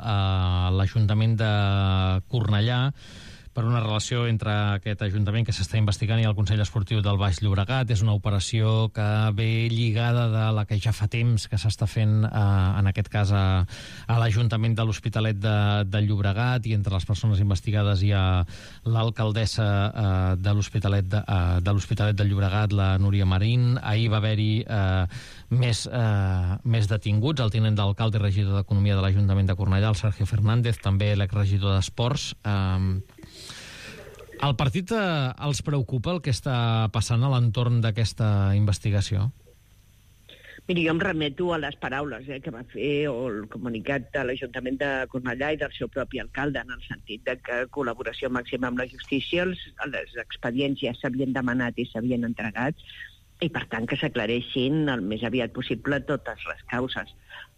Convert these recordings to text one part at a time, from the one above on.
a l'Ajuntament de Cornellà per una relació entre aquest Ajuntament que s'està investigant i el Consell Esportiu del Baix Llobregat. És una operació que ve lligada de la que ja fa temps que s'està fent, en aquest cas, a l'Ajuntament de l'Hospitalet de Llobregat, i entre les persones investigades hi ha l'alcaldessa de l'Hospitalet de Llobregat, la Núria Marín. Ahir va haver-hi més detinguts, el tinent d'alcalde i regidor d'Economia de l'Ajuntament de Cornellà, el Sergio Fernández, també l'exregidor d'Esports. Al partit els preocupa el que està passant a l'entorn d'aquesta investigació? Miri, jo em remeto a les paraules que va fer o el comunicat de l'Ajuntament de Cornellà i del seu propi alcalde, en el sentit de que col·laboració màxima amb la justícia, els expedients ja s'havien demanat i s'havien entregat, i per tant que s'aclareixin el més aviat possible totes les causes.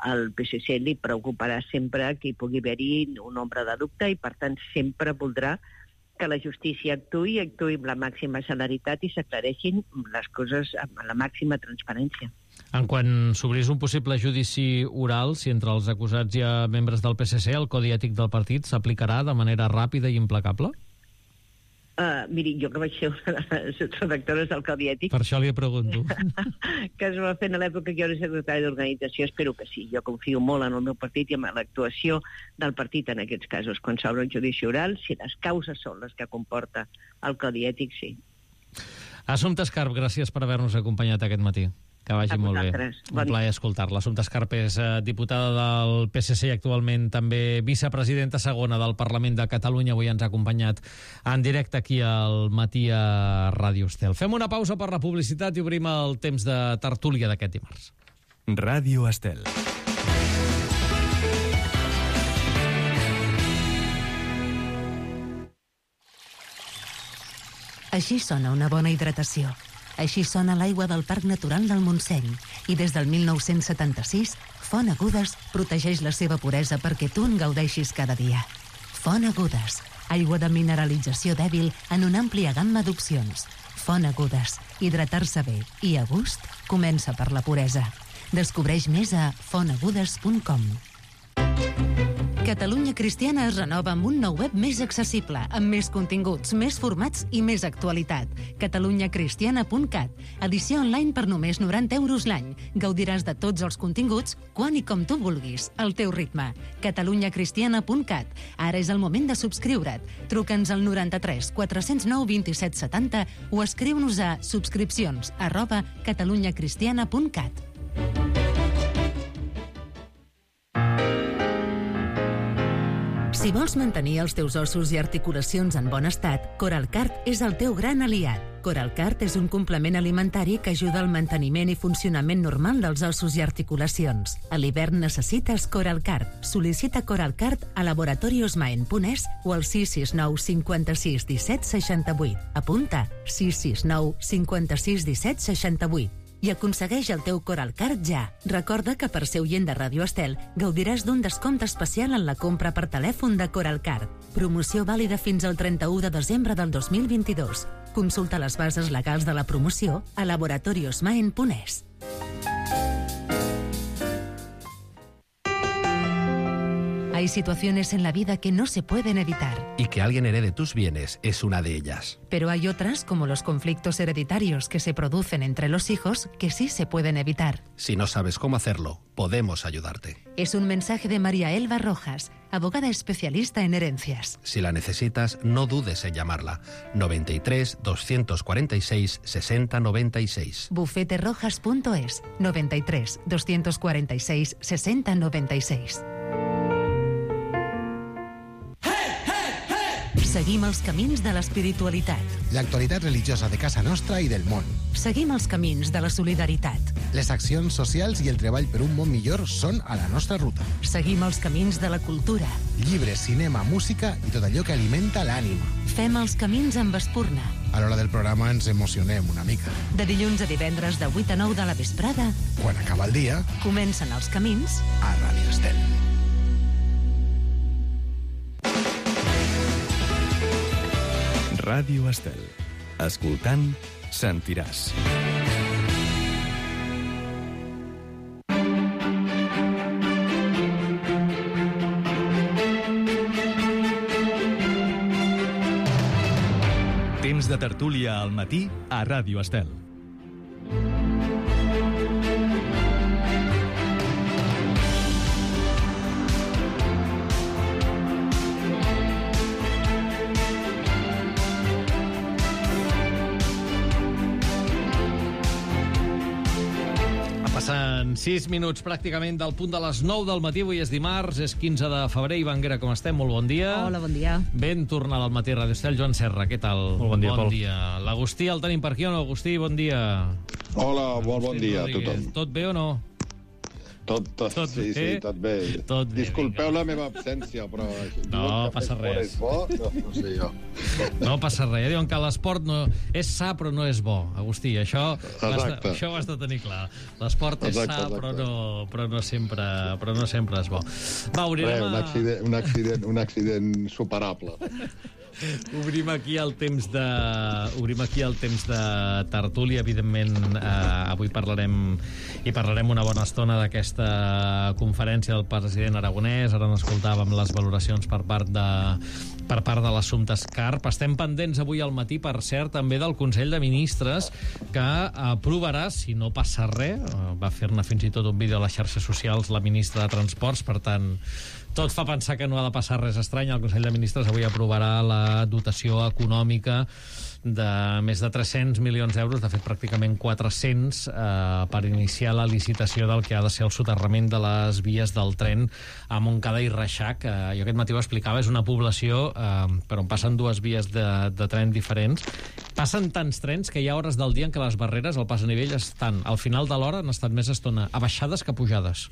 Al PSC li preocuparà sempre que hi pugui haver-hi un ombra de dubte i per tant sempre voldrà que la justícia actuï amb la màxima celeritat i s'aclareixin les coses amb la màxima transparència. En quan s'obrís un possible judici oral, si entre els acusats hi ha membres del PSC, el codi ètic del partit s'aplicarà de manera ràpida i implacable? Miri, jo que vaig ser una de les redactores del Codi Ètic... Per això li pregunto. Que es va fer en l'època que jo era secretari d'organització, espero que sí. Jo confio molt en el meu partit i en l'actuació del partit en aquests casos. Quan s'obre un judici oral, si les causes són les que comporta el Codi Ètic, sí. Assumpta Escarp, gràcies per haver-nos acompanyat aquest matí. Que vagi molt bé. Un plaer escoltar-la. Assumpta Escarp és diputada del PSC i actualment també vicepresidenta segona del Parlament de Catalunya. Avui ens ha acompanyat en directe aquí al Matí a Ràdio Estel. Fem una pausa per la publicitat i obrim el temps de tertúlia d'aquest dimarts. Ràdio Estel. Així sona una bona hidratació. Així sona l'aigua del Parc Natural del Montseny. I des del 1976, Font Agudes protegeix la seva puresa perquè tu en gaudeixis cada dia. Font Agudes, aigua de mineralització dèbil en una àmplia gamma d'opcions. Font Agudes, hidratar-se bé i a gust comença per la puresa. Descobreix més a fontagudes.com. Catalunya Cristiana es renova amb un nou web més accessible, amb més continguts, més formats i més actualitat. catalunyacristiana.cat. Edició online per només 90 € l'any. Gaudiràs de tots els continguts, quan i com tu vulguis, al teu ritme. catalunyacristiana.cat. Ara és el moment de subscriure't. Truca'ns al 93 409 27 70 o escriu-nos a subscripcions@catalunyacristiana.cat. Si vols mantenir els teus ossos i articulacions en bon estat, Coralcart és el teu gran aliat. Coralcart és un complement alimentari que ajuda al manteniment i funcionament normal dels ossos i articulacions. A l'hivern necessites Coralcart. Sol·licita Coralcart a laboratoriosmaen.es o al 669 56 17 68. Apunta 669 56 17 68. I aconsegueix el teu Coralcart ja. Recorda que per ser oient de Ràdio Estel gaudiràs d'un descompte especial en la compra per telèfon de Coralcart. Promoció vàlida fins al 31 de desembre del 2022. Consulta les bases legals de la promoció a laboratoriosmaen.es. Hay situaciones en la vida que no se pueden evitar. Y que alguien herede tus bienes es una de ellas. Pero hay otras, como los conflictos hereditarios que se producen entre los hijos, que sí se pueden evitar. Si no sabes cómo hacerlo, podemos ayudarte. Es un mensaje de María Elba Rojas, abogada especialista en herencias. Si la necesitas, no dudes en llamarla. 93 246 60 96. Bufeterojas.es 93 246 60 96. Seguim els camins de l'espiritualitat. L'actualitat religiosa de casa nostra i del món. Seguim els camins de la solidaritat. Les accions socials i el treball per un món millor són a la nostra ruta. Seguim els camins de la cultura. Llibres, cinema, música i tot allò que alimenta l'ànima. Fem els camins amb Espurna. A l'hora del programa ens emocionem una mica. De dilluns a divendres de 8 a 9 de la vesprada. Quan acaba el dia, comencen els camins a Ràdio Estel. Ràdio Estel. Escoltant, sentiràs. temps de tertúlia al matí a Ràdio Estel. Passen 6 minuts pràcticament del punt de les 9 del matí. Avui és dimarts, és 15 de febrer. Ivan Guerra, com estem? Molt bon dia. Hola, bon dia. Ben tornada al matí a Ràdio Estel. Joan Serra, què tal? Molt bon dia, Pol. L'Agustí el tenim per aquí o no? Agustí, bon dia. Hola, molt bon dia a tothom. Tot bé o no? Tot sí, tot bé. Tot bé, disculpeu la meva absència, però... No passa res. És bo? No sé jo. No passa res. Diuen que l'esport no és sa, però no és bo. Agustí, això ho has de tenir clar. L'esport és sa, però no sempre és bo. Va, un accident superable. Obrim aquí el temps de tertúlia. Evidentment, avui parlarem una bona estona d'aquesta conferència del president aragonès. Ara n'escoltàvem les valoracions per part de l'assumpte Escarp. Estem pendents avui al matí, per cert, també del Consell de Ministres, que aprovarà, si no passa res, va fer-ne fins i tot un vídeo a les xarxes socials la ministra de Transports, per tant, tot fa pensar que no ha de passar res estrany. El Consell de Ministres avui aprovarà la dotació econòmica de més de 300 milions d'euros, de fet pràcticament 400, per iniciar la licitació del que ha de ser el soterrament de les vies del tren a Montcada i Reixac. Jo aquest matí ho explicava, és una població per on passen dues vies de tren diferents. Passen tants trens que hi ha hores del dia en què les barreres, el pas a nivell, estan al final de l'hora, han estat més estona abaixades que pujades.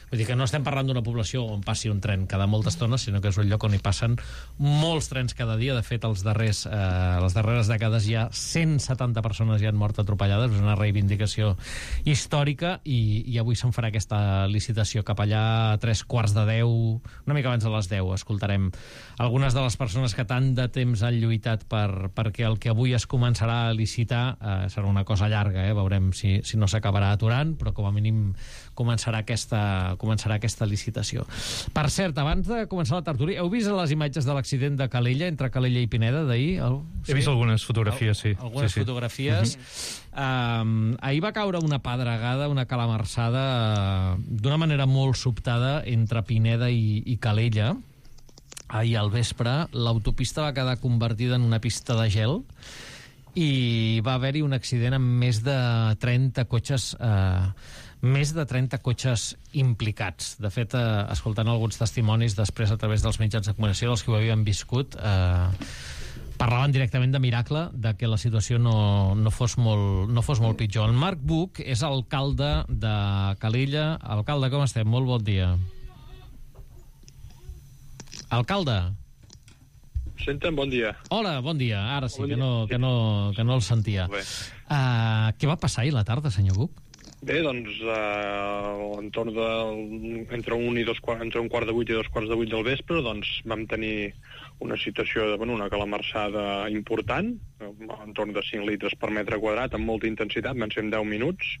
Vull dir que no estem parlant d'una població on passi un tren cada molta estona, sinó que és un lloc on hi passen molts trens cada dia. De fet, les darreres dècades ja 170 persones ja han mort atropellades. És una reivindicació històrica i avui se'n farà aquesta licitació. Cap allà a 9:45, una mica abans de les 10, escoltarem algunes de les persones que tant de temps han lluitat perquè el que avui es començarà a licitar serà una cosa llarga, veurem si no s'acabarà aturant, però com a mínim començarà aquesta licitació. Per cert, abans de començar la tertúlia, heu vist les imatges de l'accident de Calella, entre Calella i Pineda, d'ahir? He vist algunes fotografies, sí. Algunes fotografies. Ahir va caure una pedregada, una calamarsada, d'una manera molt sobtada entre Pineda i Calella. Ahir al vespre, l'autopista va quedar convertida en una pista de gel i va haver-hi un accident amb més de 30 cotxes implicats. De fet, escoltant alguns testimonis després a través dels mitjans de comunicació dels que ho havien viscut, parlaven directament de miracle, de que la situació no fos molt pitjor. El Marc Buch és alcalde de Calella. Alcalde, com estem? Molt bon dia. Alcalde. Senten, bon dia. Hola, bon dia. Ara sí, que no el sentia. Què va passar ahir a la tarda, senyor Buch? Bé, doncs, entorn entre un quart de 8 i 2:45 del vespre, doncs vam tenir una situació una calamarsada important, entorn de 5 litres per metre quadrat, amb molta intensitat, van ser en 10 minuts,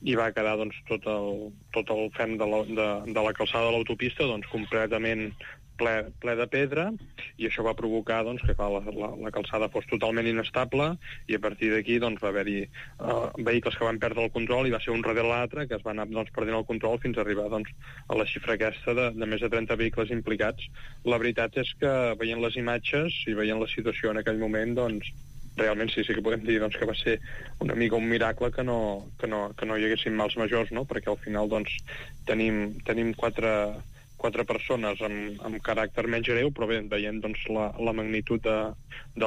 i va quedar doncs, tot el fem de la calçada de l'autopista doncs, completament ple de pedra, i això va provocar doncs, que la calçada fos totalment inestable, i a partir d'aquí doncs, va haver-hi vehicles que van perdre el control, i va ser un darrere l'altre que es van anar doncs, perdent el control fins a arribar doncs, a la xifra aquesta de més de 30 vehicles implicats. La veritat és que veient les imatges i veient la situació en aquell moment, doncs, realment sí que podem dir doncs, que va ser una mica un miracle que no hi haguessin mals majors, no? Perquè al final doncs, tenim quatre persones amb caràcter menys greu, però bé, veient doncs, la magnitud de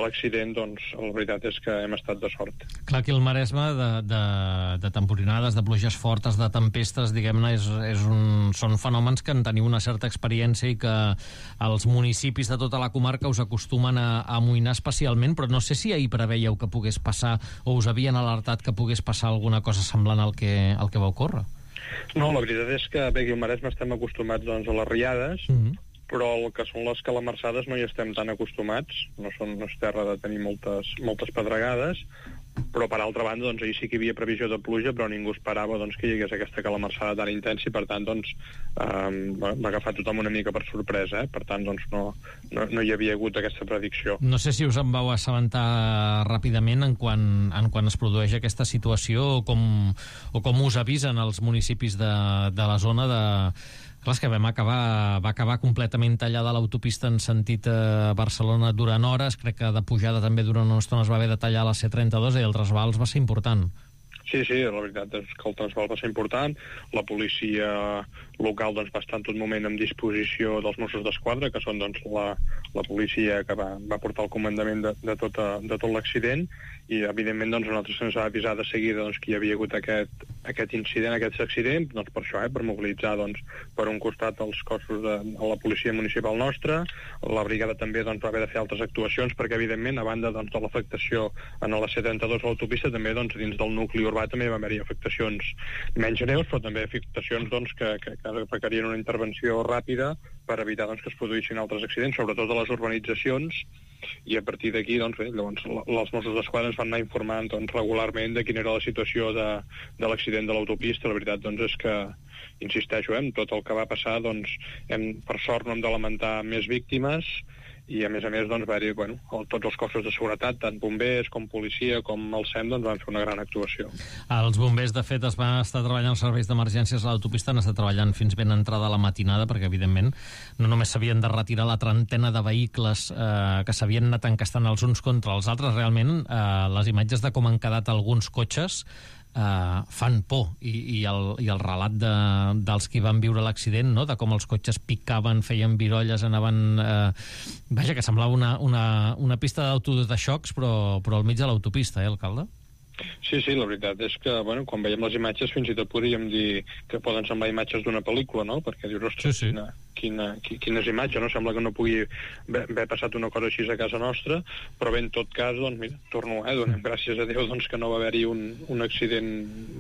l'accident, doncs la veritat és que hem estat de sort. Clar, aquí el Maresme de temporinades, de pluges fortes, de tempestes, diguem-ne, són fenòmens que en teniu una certa experiència i que els municipis de tota la comarca us acostumen a amoïnar especialment, però no sé si ahir preveieu que pogués passar o us havien alertat que pogués passar alguna cosa semblant al que va ocórrer. No, la veritat és que bé, aquí al Maresme estem acostumats doncs, a les riades, però el que són les calamarsades no hi estem tan acostumats, no és terra de tenir moltes pedregades, però per altra banda doncs, ahir sí que hi havia previsió de pluja, però ningú esperava doncs, que hi hagués aquesta calamarsada tan intensa i per tant doncs, va agafar tothom una mica per sorpresa, per tant doncs, no hi havia hagut aquesta predicció. No sé si us en vau assabentar ràpidament en quan es produeix aquesta situació o com us avisen els municipis de la zona de... Clar, és que va acabar completament tallada l'autopista en sentit Barcelona durant hores, crec que de pujada també durant una estona es va haver de tallar la C32 i el trasbals va ser important. Sí, la veritat és que el trasbal va ser important. La policia local doncs, va estar en tot moment en disposició dels Mossos d'Esquadra, que són doncs, la policia que va portar el comandament de tot l'accident, i evidentment doncs, a nosaltres se'ns va avisar de seguida doncs, que hi havia hagut aquest incident, aquest accident, doncs, per això, per mobilitzar doncs, per un costat els cossos de la policia municipal nostra. La brigada també doncs, va haver de fer altres actuacions perquè evidentment, a banda doncs, de l'afectació en la C32 a l'autopista, també doncs, dins del nucli urbà també va haver-hi afectacions menys greus, però també afectacions doncs, que requerien una intervenció ràpida per evitar doncs, que es produïssin altres accidents, sobretot a les urbanitzacions, i a partir d'aquí doncs, llavors, els Mossos d'Esquadra ens van anar informant doncs, regularment de quina era la situació de l'accident de l'autopista. La veritat doncs, és que, insisteixo, tot el que va passar, doncs, per sort no hem de lamentar més víctimes, i a més doncs, va haver-hi tots els cossos de seguretat, tant bombers com policia com el SEM, doncs van fer una gran actuació. Els bombers, de fet, es van estar treballant els serveis d'emergències a l'autopista, han estat treballant fins ben entrada a la matinada, perquè evidentment no només s'havien de retirar la trentena de vehicles que s'havien anat encastant els uns contra els altres, realment les imatges de com han quedat alguns cotxes fan por, i el relat dels qui van viure l'accident, no? De com els cotxes picaven, feien virolles, anaven... Vaja, que semblava una pista d'auto de xocs, però al mig de l'autopista, alcalde? Sí, la veritat és que, quan veiem les imatges fins i tot podríem dir que poden semblar imatges d'una pel·lícula, no? Perquè dius, ostres, quines imatges, no? Sembla que no pugui haver passat una cosa així a casa nostra, però bé, en tot cas, doncs, mira, torno, donem gràcies a Déu doncs, que no va haver-hi un accident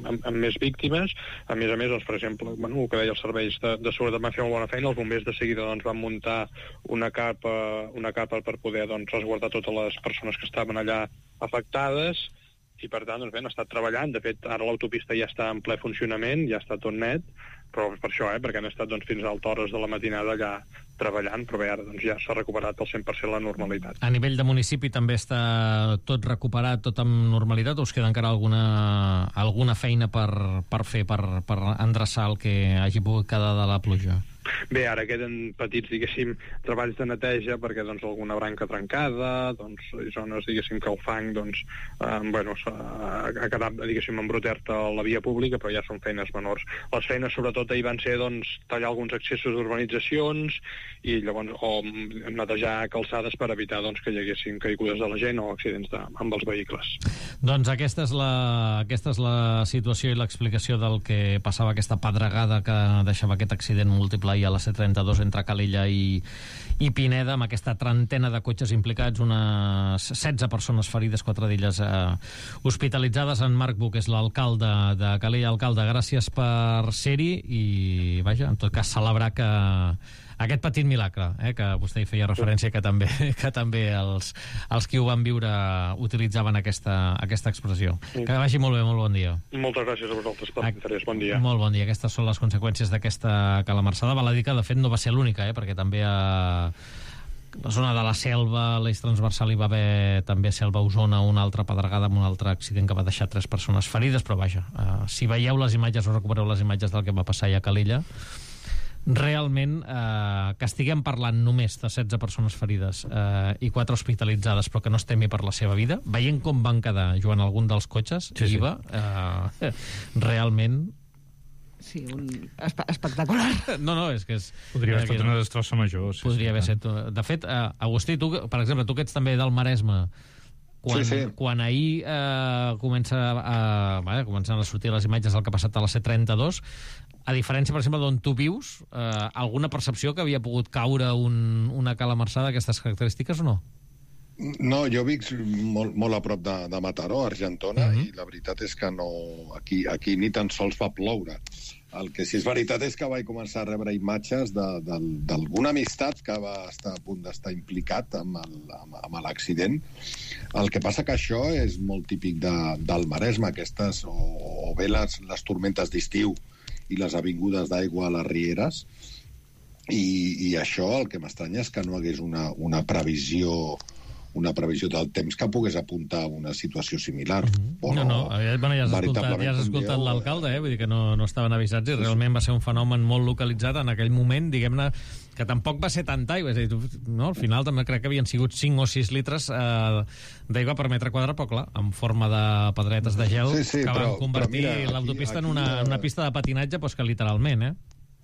amb més víctimes. A més, doncs, per exemple, el que deia els serveis de seguretat van fer molt bona feina, els bombers de seguida doncs, van muntar una capa per poder doncs, resguardar totes les persones que estaven allà afectades, i per tant doncs, han estat treballant. De fet, ara l'autopista ja està en ple funcionament, ja està tot net, però per això, perquè han estat doncs, fins a altes hores de la matinada allà treballant, però bé, ara doncs, ja s'ha recuperat al 100% la normalitat. A nivell de municipi també està tot recuperat, tot amb normalitat, o us queda encara alguna feina per fer, per endreçar el que hagi pogut quedar de la pluja? Bé, ara queden petits, diguéssim, treballs de neteja perquè, doncs, alguna branca trencada, doncs, zones, diguéssim, que el fang, doncs, ha quedat, diguéssim, embruter-te a la via pública, però ja són feines menors. Les feines, sobretot, ahir van ser, doncs, tallar alguns accessos d'urbanitzacions i llavors, o netejar calçades per evitar, doncs, que hi haguessin caigudes de la gent o accidents amb els vehicles. Doncs aquesta és la situació i l'explicació del que passava, aquesta pedregada que deixava aquest accident múltiple a la C32 entre Calella i Pineda, amb aquesta trentena de cotxes implicats, unes 16 persones ferides, 4 d'elles hospitalitzades. En Marc Buch és l'alcalde de Calella. Alcalde, gràcies per ser-hi i, vaja, en tot cas, celebrar que aquest petit milagre, que vostè hi feia referència, que també els qui ho van viure utilitzaven aquesta expressió. Que vagi molt bé, molt bon dia. Moltes gràcies a vosaltres per l'interès, bon dia. Molt bon dia. Aquestes són les conseqüències d'aquesta calamarsada. Val a dir que, de fet, no va ser l'única, perquè també a la zona de la Selva, l'eix transversal, hi va haver també a Selva, Osona, una altra pedregada amb un altre accident que va deixar 3 persones ferides, però vaja, si veieu les imatges o recupereu les imatges del que va passar a Calella, realment que estiguem parlant només de 16 persones ferides i 4 hospitalitzades, però que no es temi per la seva vida, veient com van quedar, Joan, algun dels cotxes, IVA, realment... Sí, espectacular. No, és que és... Podria haver estat una destrossa major. Podria haver estat... De fet, Agustí, tu, per exemple, tu que ets també del Maresme, quan ahir comencen a sortir les imatges del que ha passat a la C32, a diferència, per exemple, d'on tu vius, alguna percepció que havia pogut caure una calamarsada d'aquestes característiques o no? No, jo vic molt a prop de Mataró, Argentona, i la veritat és que no, aquí ni tan sols va ploure. El que sí és veritat és que vaig començar a rebre imatges d'alguna amistat que va estar a punt d'estar implicat amb l'accident. El que passa que això és molt típic del Maresme, aquestes, o bé les tormentes d'estiu i les avingudes d'aigua a les rieres, i això el que m'estranya és que no hagués una previsió del temps que pogués apuntar a una situació similar. Ja has escoltat l'alcalde, vull dir que no estaven avisats, i realment va ser un fenomen molt localitzat en aquell moment, diguem-ne, que tampoc va ser tanta aigua. És a dir, al final també crec que havien sigut 5 o 6 litres d'aigua per metre quadrat, però clar, en forma de pedretes de gel, que van convertir l'autopista en una pista de patinatge, que literalment,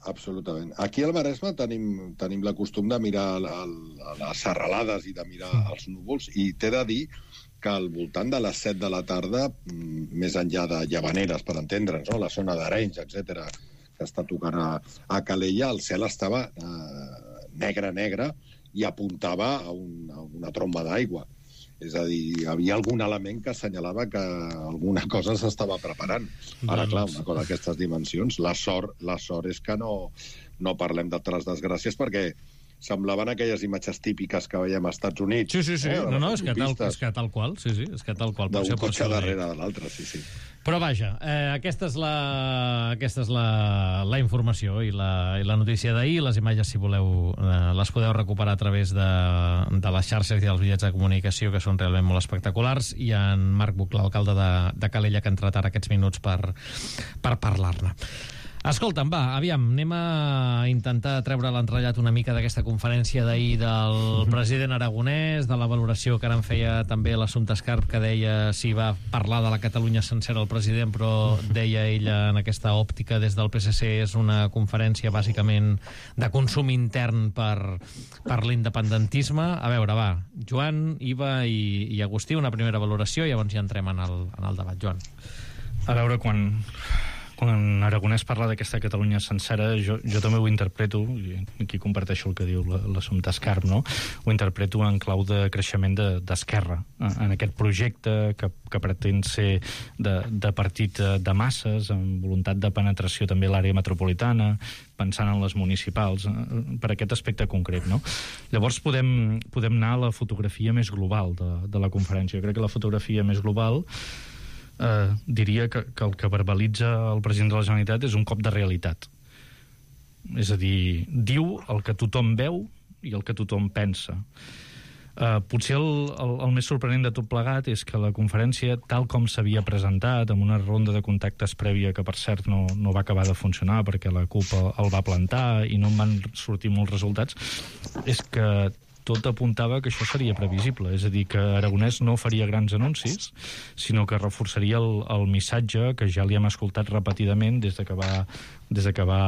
Absolutament. Aquí al Maresme tenim la costum de mirar les serralades i de mirar els núvols, i t'he de dir que al voltant de les 7 de la tarda, més enllà de Llavaneres, per entendre'ns, la zona d'Arenys, etc, que està tocant a Calella, el cel estava negre, i apuntava a una tromba d'aigua. És a dir, hi havia algun element que assenyalava que alguna cosa s'estava preparant. Ara, clar, una cosa d'aquestes dimensions, la sort és que no parlem d'altres desgràcies, perquè semblaven aquelles imatges típiques que veiem als Estats Units. Sí. És que tal qual. D'un cotxe darrere de l'altre, sí. Però vaja, aquesta és la informació i la notícia d'ahir. Les imatges, si voleu, les podeu recuperar a través de les xarxes i dels bitllets de comunicació, que són realment molt espectaculars, i en Marc Buch, l'alcalde de Calella, que ha entrat ara aquests minuts per parlar-ne. Escolta'm, aviam, anem a intentar treure l'entrellat una mica d'aquesta conferència d'ahir del president aragonès, de la valoració que ara en feia també l'Assumpta Escarp, que deia si va parlar de la Catalunya sencera el president, però deia ella en aquesta òptica des del PSC és una conferència bàsicament de consum intern per l'independentisme. A veure, va, Joan, Iva i Agustí, una primera valoració, i llavors ja entrem en el debat. Joan. A veure, quan Aragonès parla d'aquesta Catalunya sencera, jo també ho interpreto, i aquí comparteixo el que diu l'Assumpta Escarp, no? Ho interpreto en clau de creixement d'Esquerra, en aquest projecte que pretén ser de partit de masses, amb voluntat de penetració també a l'àrea metropolitana, pensant en les municipals, per aquest aspecte concret, no? Llavors podem anar a la fotografia més global de la conferència. Jo crec que la fotografia més global diria que el que verbalitza el president de la Generalitat és un cop de realitat. És a dir, diu el que tothom veu i el que tothom pensa. Potser el més sorprenent de tot plegat és que la conferència, tal com s'havia presentat, amb una ronda de contactes prèvia que, per cert, no va acabar de funcionar perquè la CUP el va plantar i no en van sortir molts resultats, és que tot apuntava que això seria previsible, és a dir, que Aragonès no faria grans anuncis, sinó que reforçaria el missatge que ja li hem escoltat repetidament des que va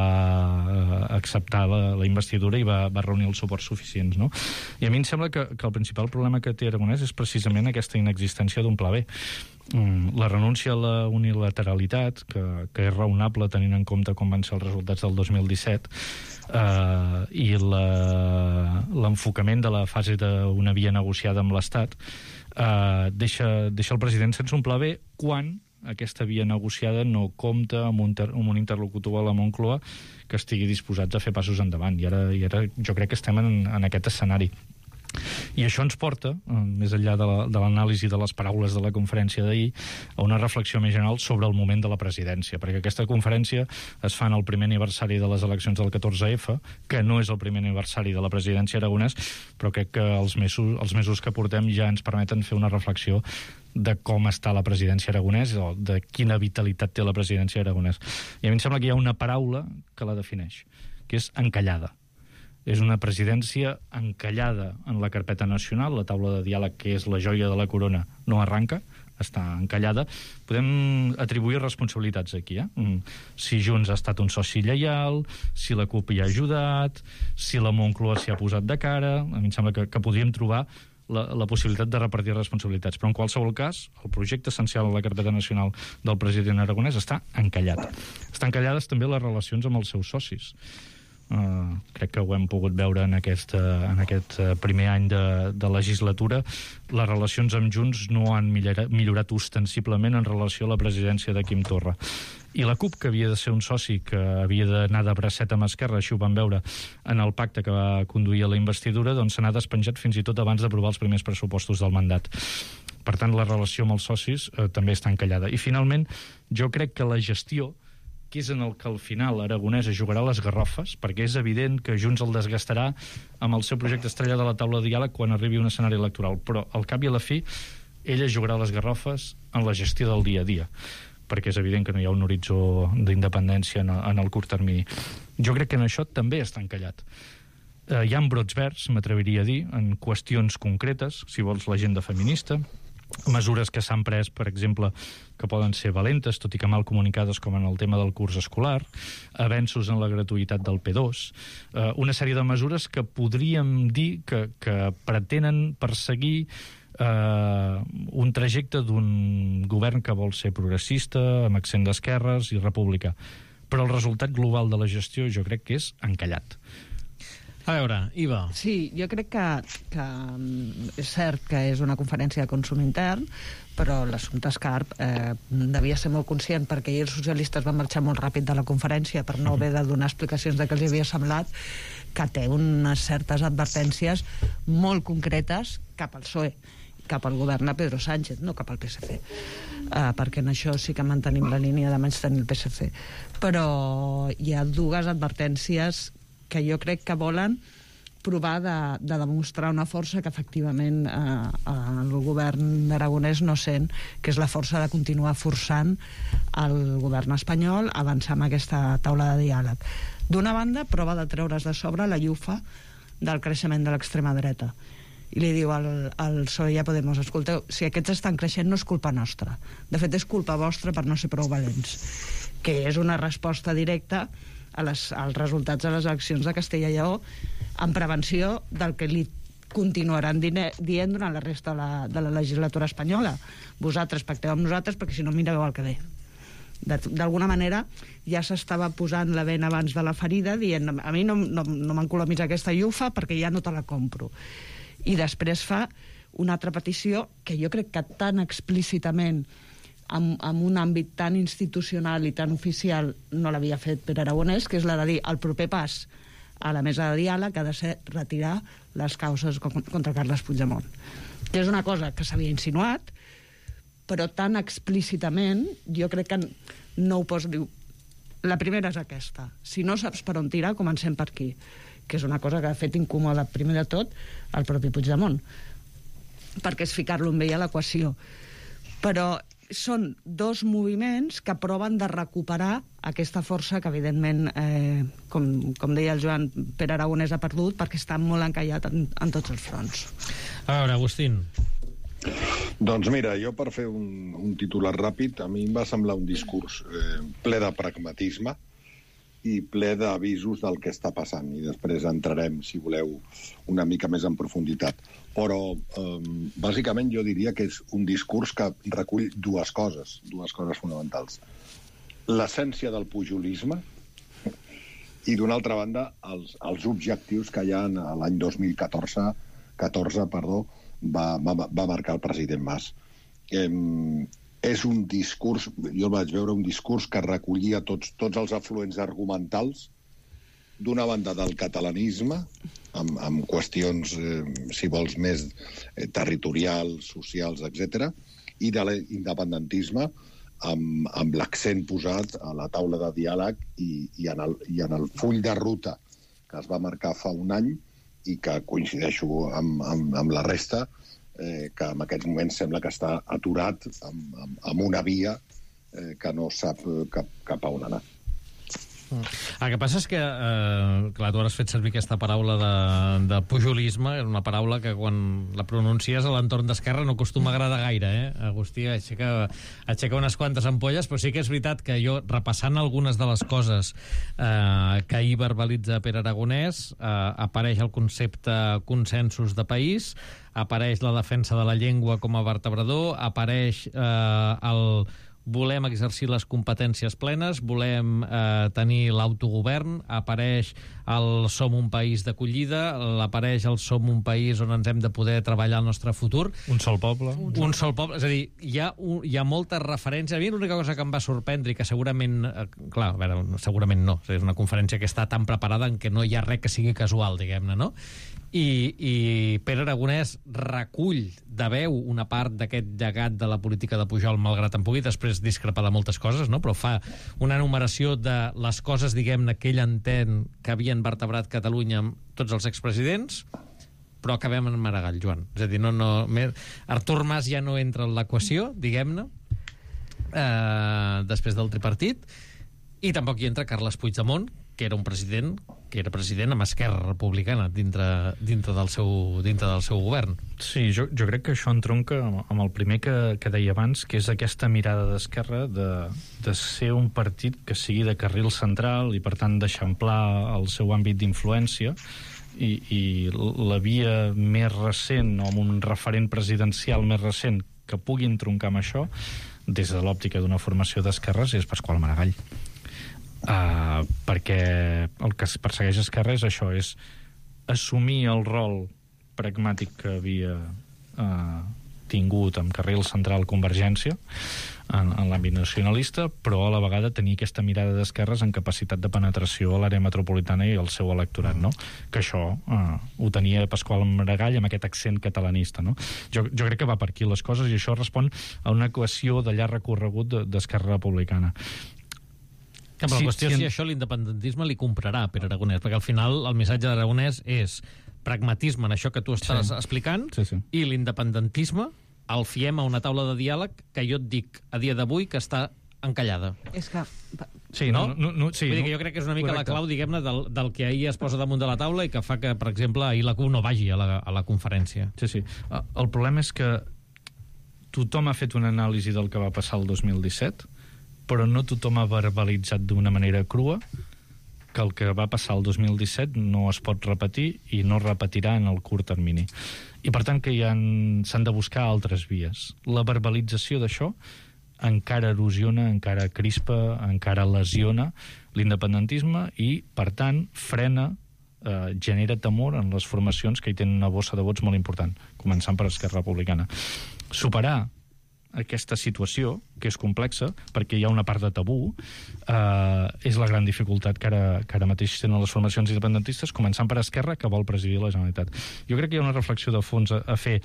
acceptar la investidura i va reunir els suports suficients, no? I a mi em sembla que el principal problema que té Aragonès és precisament aquesta inexistència d'un pla B. La renúncia a la unilateralitat, que és raonable tenint en compte com van ser els resultats del 2017, i l'enfocament de la fase d'una via negociada amb l'Estat, deixa el president sense un pla B quan aquesta via negociada no compta amb un interlocutor a la Moncloa que estigui disposats a fer passos endavant. I ara jo crec que estem en aquest escenari. I això ens porta, més enllà de l'anàlisi de les paraules de la conferència d'ahir, a una reflexió més general sobre el moment de la presidència, perquè aquesta conferència es fa en el primer aniversari de les eleccions del 14F, que no és el primer aniversari de la presidència Aragonès, però crec que els mesos que portem ja ens permeten fer una reflexió de com està la presidència Aragonès o de quina vitalitat té la presidència Aragonès. I a mi em sembla que hi ha una paraula que la defineix, que és encallada. És una presidència encallada en la carpeta nacional, la taula de diàleg, que és la joia de la corona, no arranca, està encallada. Podem atribuir responsabilitats aquí, Si Junts ha estat un soci lleial, si la CUP hi ha ajudat, si la Moncloa s'hi ha posat de cara. A mi em sembla que podríem trobar la possibilitat de repartir responsabilitats. Però en qualsevol cas, el projecte essencial de la carpeta nacional del president Aragonès està encallat. Estan encallades també les relacions amb els seus socis. crec que ho hem pogut veure en aquest primer any de legislatura. Les relacions amb Junts no han millorat ostensiblement en relació a la presidència de Quim Torra. I la CUP, que havia de ser un soci que havia d'anar de bracet amb Esquerra, així ho vam veure en el pacte que va conduir a la investidura, doncs se n'ha despenjat fins i tot abans d'aprovar els primers pressupostos del mandat. Per tant, la relació amb els socis també està encallada. I finalment, jo crec que la gestió, que és en el que al final Aragonès jugarà les garrofes, perquè és evident que Junts el desgastarà amb el seu projecte estrella de la taula de diàleg quan arribi un escenari electoral, però al cap i a la fi ella jugarà les garrofes en la gestió del dia a dia, perquè és evident que no hi ha un horitzó d'independència en el curt termini. Jo crec que en això també està encallat. Hi ha brots verds, m'atreviria a dir, en qüestions concretes, si vols l'agenda feminista, mesures que s'han pres, per exemple, que poden ser valentes, tot i que mal comunicades, com en el tema del curs escolar, avenços en la gratuïtat del P2, una sèrie de mesures que podríem dir que pretenen perseguir un trajecte d'un govern que vol ser progressista, amb accent d'esquerres i republicà. Però el resultat global de la gestió jo crec que és encallat. A veure, Iva. Sí, jo crec que és cert que és una conferència de consum intern, però l'assumpte Escarp devia ser molt conscient, perquè ahir els socialistes van marxar molt ràpid de la conferència per no haver de donar explicacions de què els havia semblat, que té unes certes advertències molt concretes cap al PSOE, cap al govern de Pedro Sánchez, no cap al PSC, perquè en això sí que mantenim la línia de menys tenir el PSC. Però hi ha dues advertències que jo crec que volen provar de demostrar una força que efectivament el govern d'Aragonès no sent, que és la força de continuar forçant el govern espanyol a avançar amb aquesta taula de diàleg. D'una banda, prova de treure's de sobre la llufa del creixement de l'extrema dreta. I li diu al PSOE i a Podemos: escolteu, si aquests estan creixent no és culpa nostra. De fet, és culpa vostra per no ser prou valents. Que és una resposta directa als resultats de les eleccions de Castella i Lleó, en prevenció del que li continuaran dient durant la resta de la legislatura espanyola. Vosaltres pacteu amb nosaltres, perquè si no mireu el que ve. D'alguna manera ja s'estava posant la vena abans de la ferida, dient: a mi no m'encolomis aquesta llufa perquè ja no te la compro. I després fa una altra petició que jo crec que tan explícitament en un àmbit tan institucional i tan oficial no l'havia fet per Aragonès, que és la de dir: el proper pas a la mesa de diàleg ha de ser retirar les causes contra Carles Puigdemont, que és una cosa que s'havia insinuat, però tan explícitament jo crec que no ho pots dir. La primera és aquesta: si no saps per on tirar, comencem per aquí, que és una cosa que ha fet incòmoda primer de tot el propi Puigdemont, perquè és ficar-lo amb ell a l'equació. Però són dos moviments que proven de recuperar aquesta força que, evidentment, com deia el Joan, Pere Aragonès ha perdut, perquè està molt encallat en tots els fronts. A veure, Agustín. Doncs mira, jo per fer un titular ràpid, a mi em va semblar un discurs ple de pragmatisme i ple d'avisos del que està passant, i després entrarem, si voleu, una mica més en profunditat. Però, bàsicament, jo diria que és un discurs que recull dues coses fonamentals. L'essència del pujolisme i, d'una altra banda, els objectius que ja l'any 2014 va marcar el president Mas. És un discurs, jo el vaig veure, un discurs que recollia tots els afluents argumentals, d'una banda del catalanisme, amb qüestions, si vols, més territorials, socials, etc., i de l'independentisme, amb l'accent posat a la taula de diàleg i en el full de ruta que es va marcar fa un any i que coincideixo amb la resta, que en aquests moments sembla que està aturat amb una via que no sap cap a on anar. El que passa és que, clar, tu has fet servir aquesta paraula de pujolisme, una paraula que quan la pronuncies a l'entorn d'Esquerra no acostuma a agradar gaire, Agustí aixeca unes quantes ampolles, però sí que és veritat que jo, repassant algunes de les coses que ahir verbalitza Pere Aragonès, apareix el concepte consensos de país, apareix la defensa de la llengua com a vertebrador, apareix volem exercir les competències plenes, volem tenir l'autogovern, apareix el Som un país d'acollida, apareix el Som un país on ens hem de poder treballar el nostre futur. Un sol poble. Un sol poble. És a dir, hi ha moltes referències. A mi l'única cosa que em va sorprendre i que segurament, clar, a veure, segurament no, és una conferència que està tan preparada en què no hi ha res que sigui casual, diguem-ne, no? I Pere Aragonès recull de veu una part d'aquest llegat de la política de Pujol, malgrat en pugui després discrepar de moltes coses, no? Però fa una enumeració de les coses, diguem-ne, que ell entén que havien vertebrat Catalunya amb tots els expresidents, però acabem en Maragall, Joan. És a dir, Artur Mas ja no entra en l'equació, diguem-ne, després del tripartit, i tampoc hi entra Carles Puigdemont, que era president amb Esquerra Republicana dintre del seu govern. Sí, jo crec que això entronca amb el primer que deia abans, que és aquesta mirada d'Esquerra de ser un partit que sigui de carril central i per tant d'eixamplar el seu àmbit d'influència, i la via més recent o amb un referent presidencial més recent que pugui entroncar amb això des de l'òptica d'una formació d'esquerres és Pasqual Maragall. Perquè el que persegueix Esquerra és això, és assumir el rol pragmàtic que havia tingut amb carril central Convergència en l'àmbit nacionalista, però a la vegada tenir aquesta mirada d'esquerres en capacitat de penetració a l'àrea metropolitana i al seu electorat, no? Que això ho tenia Pasqual Maragall amb aquest accent catalanista, no? Jo crec que va per aquí les coses i això respon a una equació de llarg recorregut d'Esquerra Republicana. Que la qüestió és si això l'independentisme li comprarà a Pere Aragonès, perquè al final el missatge d'Aragonès és pragmatisme en això que tu estàs explicant, i l'independentisme el fiem a una taula de diàleg que jo et dic a dia d'avui que està encallada. És que... Sí, no? Vull dir que jo crec que és una mica la clau, diguem-ne, del que ahir es posa damunt de la taula i que fa que, per exemple, ahir la CUP no vagi a la conferència. Sí. El problema és que tothom ha fet una anàlisi del que va passar el 2017, però no tothom ha verbalitzat d'una manera crua que el que va passar el 2017 no es pot repetir i no es repetirà en el curt termini. I per tant que s'han de buscar altres vies. La verbalització d'això encara erosiona, encara crispa, encara lesiona l'independentisme i, per tant, frena, genera temor en les formacions que hi tenen una bossa de vots molt important, començant per Esquerra Republicana. Superar aquesta situació, que és complexa, perquè hi ha una part de tabú, és la gran dificultat que ara mateix tenen les formacions independentistes, començant per Esquerra, que vol presidir la Generalitat. Jo crec que hi ha una reflexió de fons a fer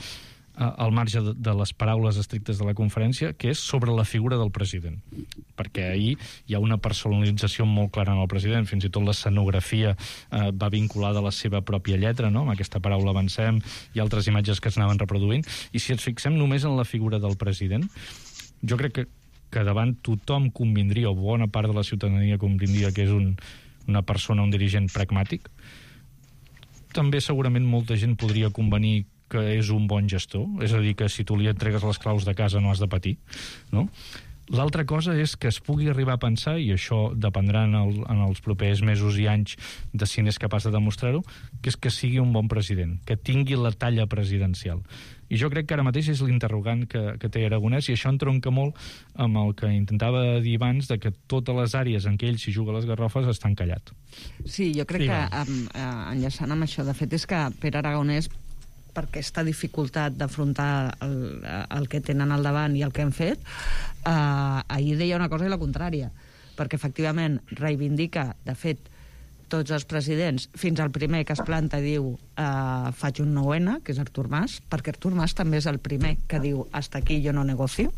al marge de les paraules estrictes de la conferència, que és sobre la figura del president. Perquè ahir hi ha una personalització molt clara en el president, fins i tot l'escenografia va vinculada a la seva pròpia lletra, no? Amb aquesta paraula avancem i altres imatges que s'anaven reproduint. I si ens fixem només en la figura del president, jo crec que davant tothom convindria, o bona part de la ciutadania convindria que és una persona, un dirigent pragmàtic. També segurament molta gent podria convenir que és un bon gestor, és a dir, que si tu li entregues les claus de casa no has de patir, no? L'altra cosa és que es pugui arribar a pensar, i això dependrà en els propers mesos i anys de si n'és capaç de demostrar-ho, que és que sigui un bon president, que tingui la talla presidencial. I jo crec que ara mateix és l'interrogant que té Aragonès, i això entronca molt amb el que intentava dir abans, de que totes les àrees en què ell s'hi juga les garrofes estan callat. Sí, jo crec que enllaçant amb això, de fet, és que Pere Aragonès, per aquesta dificultat d'afrontar el que tenen al davant i el que han fet, ahir deia una cosa i la contrària, perquè efectivament reivindica, de fet, tots els presidents, fins al primer que es planta i diu faig un 9N, que és Artur Mas, perquè Artur Mas també és el primer que diu hasta aquí yo no negocio,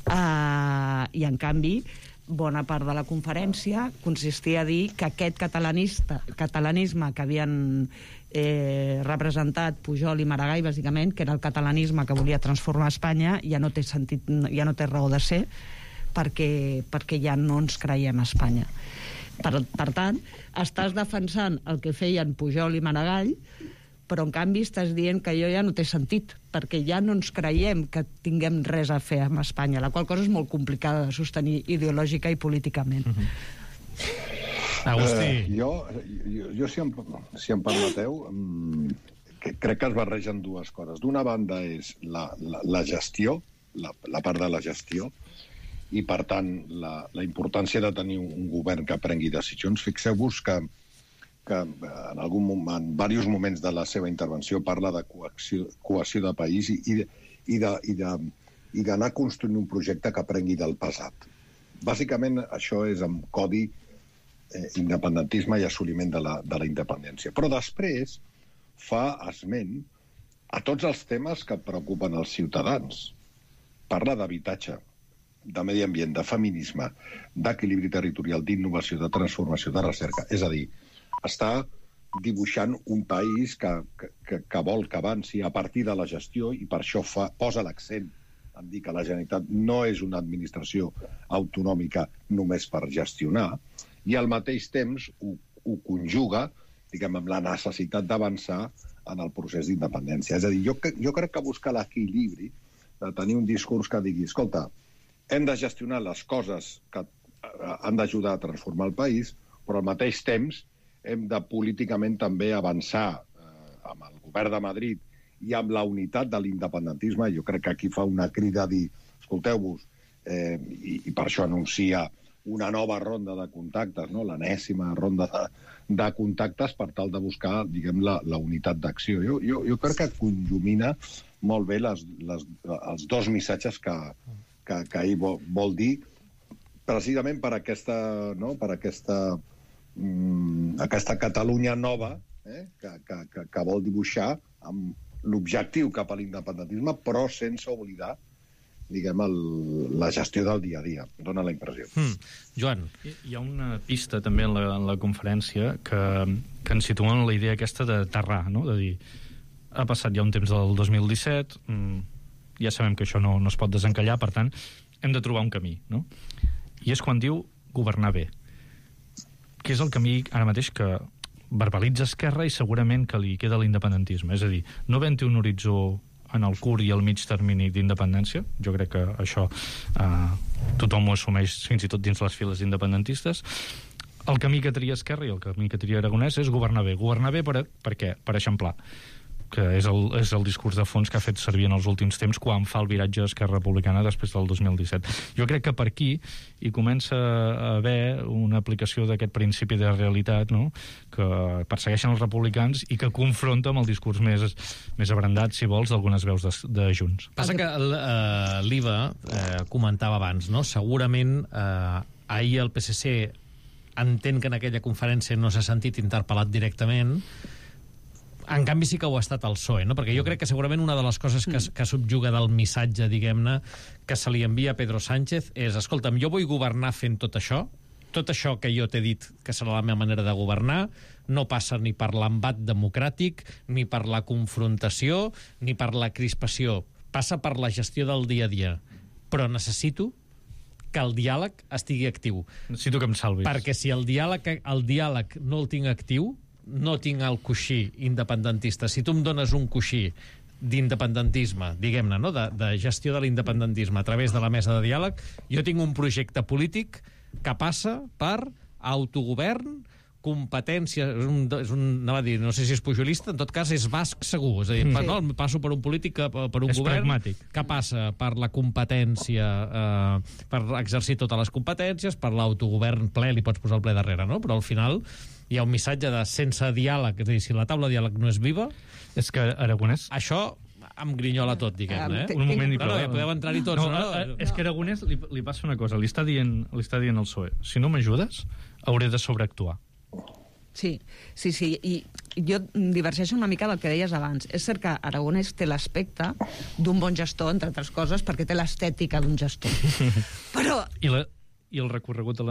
i en canvi bona part de la conferència consistia a dir que aquest catalanisme que havien representat Pujol i Maragall, bàsicament, que era el catalanisme que volia transformar Espanya, ja no té sentit, ja no té raó de ser, perquè ja no ens creiem a Espanya. Per tant, estàs defensant el que feien Pujol i Maragall, però en canvi estàs dient que allò ja no té sentit, perquè ja no ens creiem que tinguem res a fer amb Espanya, la qual cosa és molt complicada de sostenir ideològica i políticament. Agustí. Jo si em permeteu, crec que es barregen dues coses. D'una banda és la gestió, la part de la gestió, i, per tant, la importància de tenir un govern que prengui decisions. Fixeu-vos que en diversos moments de la seva intervenció parla de cohesió de país i d'anar construint un projecte que prengui del passat. Bàsicament, això és amb codi independentisme i assoliment de la independència. Però després fa esment a tots els temes que preocupen els ciutadans. Parla d'habitatge, de medi ambient, de feminisme, d'equilibri territorial, d'innovació, de transformació, de recerca. És a dir, està dibuixant un país que vol que avanci a partir de la gestió i per això posa l'accent en dir que la Generalitat no és una administració autonòmica només per gestionar i al mateix temps ho conjuga, diguem, amb la necessitat d'avançar en el procés d'independència. És a dir, jo crec que buscar l'equilibri de tenir un discurs que digui, escolta, hem de gestionar les coses que han d'ajudar a transformar el país, però al mateix temps hem de políticament també avançar amb el govern de Madrid i amb la unitat de l'independentisme. Jo crec que aquí fa una crida a dir, escolteu-vos, i per això anuncia una nova ronda de contactes, no? L'enèsima ronda de contactes per tal de buscar, diguem, la unitat d'acció. Jo crec que conjumina molt bé els dos missatges que ell vol dir, precisament per aquesta Catalunya nova que vol dibuixar amb l'objectiu cap a l'independentisme, però sense oblidar, diguem, la gestió del dia a dia. Dóna la impressió. Joan. Hi ha una pista també en la conferència que ens situa en la idea aquesta d'aterrar, no? De dir, ha passat ja un temps del 2017, ja sabem que això no es pot desencallar, per tant, hem de trobar un camí, no? I és quan diu governar bé, que és el camí ara mateix que verbalitza Esquerra i segurament que li queda l'independentisme. És a dir, no havent-hi un horitzó en el curt i el mig termini d'independència, jo crec que això tothom ho assumeix fins i tot dins les files independentistes, el camí que tria Esquerra i el camí que tria Aragonès és governar bé. Governar bé per què? Per eixamplar, que és el discurs de fons que ha fet servir en els últims temps quan fa el viratge a Esquerra Republicana després del 2017. Jo crec que per aquí hi comença a haver una aplicació d'aquest principi de realitat, no?, que persegueixen els republicans i que confronta amb el discurs més abrandat, si vols, d'algunes veus de Junts. Passa que l'Iva comentava abans, no? Segurament ahir el PSC entén que en aquella conferència no s'ha sentit interpel·lat directament. En canvi sí que ho ha estat el PSOE, no? Perquè jo crec que segurament una de les coses que subjuga del missatge, diguem-ne, que se li envia a Pedro Sánchez és, escolta'm, jo vull governar fent tot això que jo t'he dit que serà la meva manera de governar, no passa ni per l'embat democràtic, ni per la confrontació, ni per la crispació. Passa per la gestió del dia a dia. Però necessito que el diàleg estigui actiu. Necessito que em salvis. Perquè si el diàleg no el tinc actiu, no tinc el coixí independentista. Si tu em dones un coixí d'independentisme, diguem-ne, no? de gestió de l'independentisme a través de la mesa de diàleg, jo tinc un projecte polític que passa per autogovern, competència, anava a dir, no sé si és pujolista, en tot cas és basc segur, és a dir, no, passo per un polític, per un govern pragmàtic. Que passa per la competència, per exercir totes les competències, per l'autogovern ple, li pots posar el ple darrere, no? Però al final hi ha un missatge de sense diàleg, és a dir, si la taula de diàleg no és viva, és que Aragonès... Això em grinyola tot, diguem-ne. Un moment i prou. Podeu entrar-hi tots. És que Aragonès li passa una cosa, li està dient al PSOE, si no m'ajudes, hauré de sobreactuar. Sí, i jo divergeixo una mica del que deies abans. És cert que Aragonès té l'aspecte d'un bon gestor, entre altres coses, perquè té l'estètica d'un gestor. Però... I el recorregut a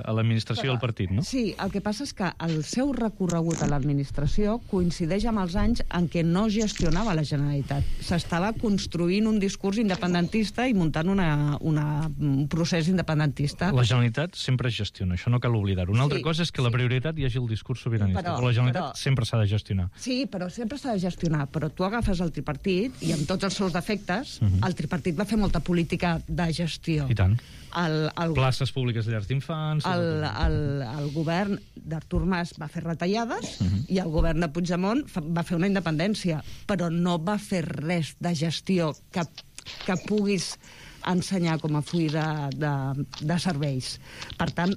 l'administració del partit, no? Sí, el que passa és que el seu recorregut a l'administració coincideix amb els anys en què no gestionava la Generalitat. S'estava construint un discurs independentista i muntant un procés independentista. La Generalitat sempre es gestiona, això no cal oblidar-ho. Una altra cosa és que la prioritat hi hagi el discurs sobiranista, però la Generalitat sempre s'ha de gestionar. Sí, però sempre s'ha de gestionar, però tu agafes el tripartit i amb tots els seus defectes, el tripartit va fer molta política de gestió. I tant. Places públiques de llars d'infants... El govern d'Artur Mas va fer retallades i el govern de Puigdemont va fer una independència, però no va fer res de gestió que puguis ensenyar com a full de serveis. Per tant,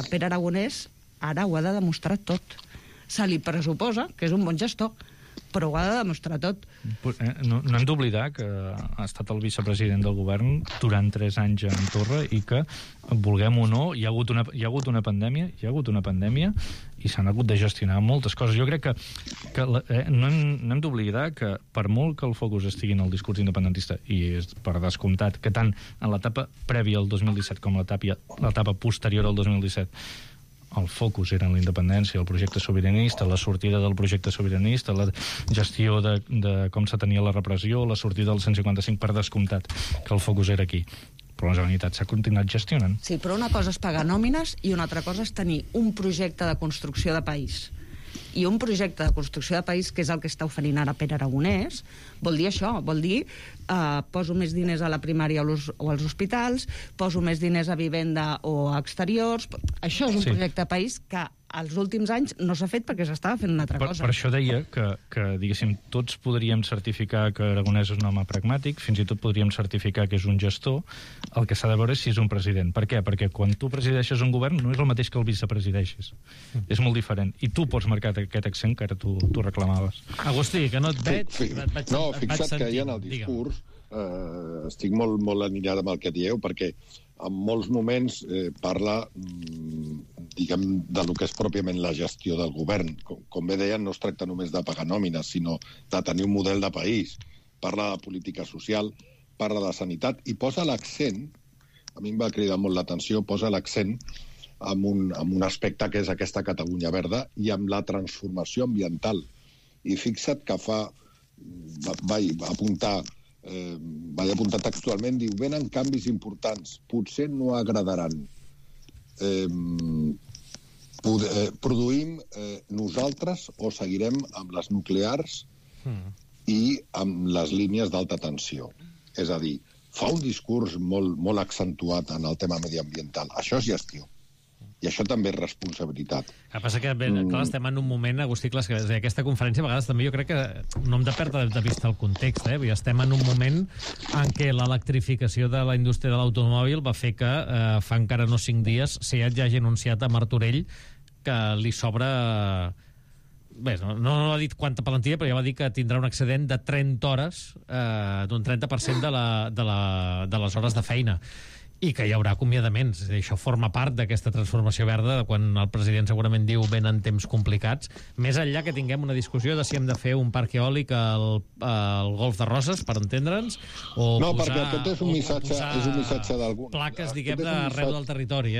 Pere Aragonès ara ho ha de demostrar tot. Se li pressuposa que és un bon gestor, però ho ha de demostrar tot. No hem d'oblidar que ha estat el vicepresident del govern durant 3 anys en Torra i que, vulguem o no, hi ha hagut una pandèmia i s'han hagut de gestionar moltes coses. Jo crec que no hem d'oblidar que per molt que el focus estigui en el discurs independentista, i és per descomptat que tant en l'etapa prèvia al 2017 com l'etapa posterior al 2017 el focus era en la independència, el projecte sobiranista, la sortida del projecte sobiranista, la gestió de com se tenia la repressió, la sortida del 155, per descomptat, que el focus era aquí. Però la Generalitat s'ha continuat gestionant. Sí, però una cosa és pagar nòmines i una altra cosa és tenir un projecte de construcció de país. I un projecte de construcció de país, que és el que està oferint ara Pere Aragonès, vol dir això, vol dir poso més diners a la primària o als hospitals, poso més diners a vivenda o a exteriors. Això és un projecte de país que als últims anys no s'ha fet perquè s'estava fent una altra cosa. Per això deia que diguéssim, tots podríem certificar que Aragonès és un home pragmàtic, fins i tot podríem certificar que és un gestor. El que s'ha de veure és si és un president. Per què? Perquè quan tu presideixes un govern no és el mateix que el vicepresideixis. És molt diferent. I tu pots marcar aquest accent que ara tu reclamaves. Agustí, que no et veig... No, fixa't que ja en el discurs estic molt alineat amb el que dieu, perquè en molts moments parla, diguem, de lo que és pròpiament la gestió del govern. Com bé deien, no es tracta només de pagar nòmines, sinó de tenir un model de país. Parla de política social, parla de sanitat, i posa l'accent, a mi em va cridar molt l'atenció, posa l'accent en un aspecte que és aquesta Catalunya verda i amb la transformació ambiental. I fixa't que vaig apuntar textualment, diu, venen canvis importants, potser no agradaran. Produïm nosaltres o seguirem amb les nuclears i amb les línies d'alta tensió. És a dir, fa un discurs molt accentuat en el tema mediambiental. Això és gestió. I això també és responsabilitat. El que passa que, clar, estem en un moment, Agustí, clar, que aquesta conferència a vegades també jo crec que no hem de perdre de vista el context, estem en un moment en què l'electrificació de la indústria de l'automòbil va fer que fa encara no 5 dies SEAT ja hagi anunciat a Martorell que li sobra... Bé, no ha dit quanta plantilla, però ja va dir que tindrà un excedent de 30 hores, d'un 30% de les hores de feina. I que hi haurà acomiadaments. Això forma part d'aquesta transformació verda, quan el president segurament diu venen temps complicats, més enllà que tinguem una discussió de si hem de fer un parc eòlic al Golf de Roses, per entendre'ns, o no, posar, perquè aquest és un missatge d'algun... plaques, diguem, d'arreu del territori,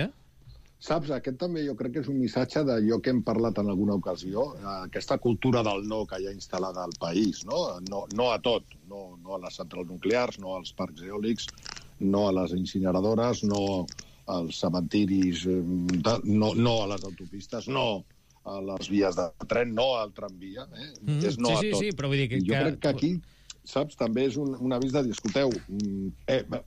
Saps, aquest també jo crec que és un missatge d'allò que hem parlat en alguna ocasió, aquesta cultura del no que hi ha instal·lada al país, no a tot, no a les centrals nuclears, no als parcs eòlics, no a les incineradores, no als cementiris, no a les autopistes, no a les vies de tren, no al tramvia, és no a tot. Sí, però vull dir que... Jo crec que aquí, saps, també és un avís de dir, escolteu,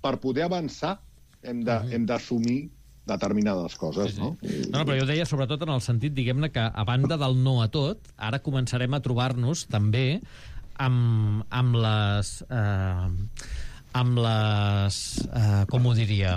per poder avançar hem d'assumir determinades coses, no? No, però jo deia sobretot en el sentit, diguem-ne, que a banda del no a tot, ara començarem a trobar-nos també amb les com ho diria,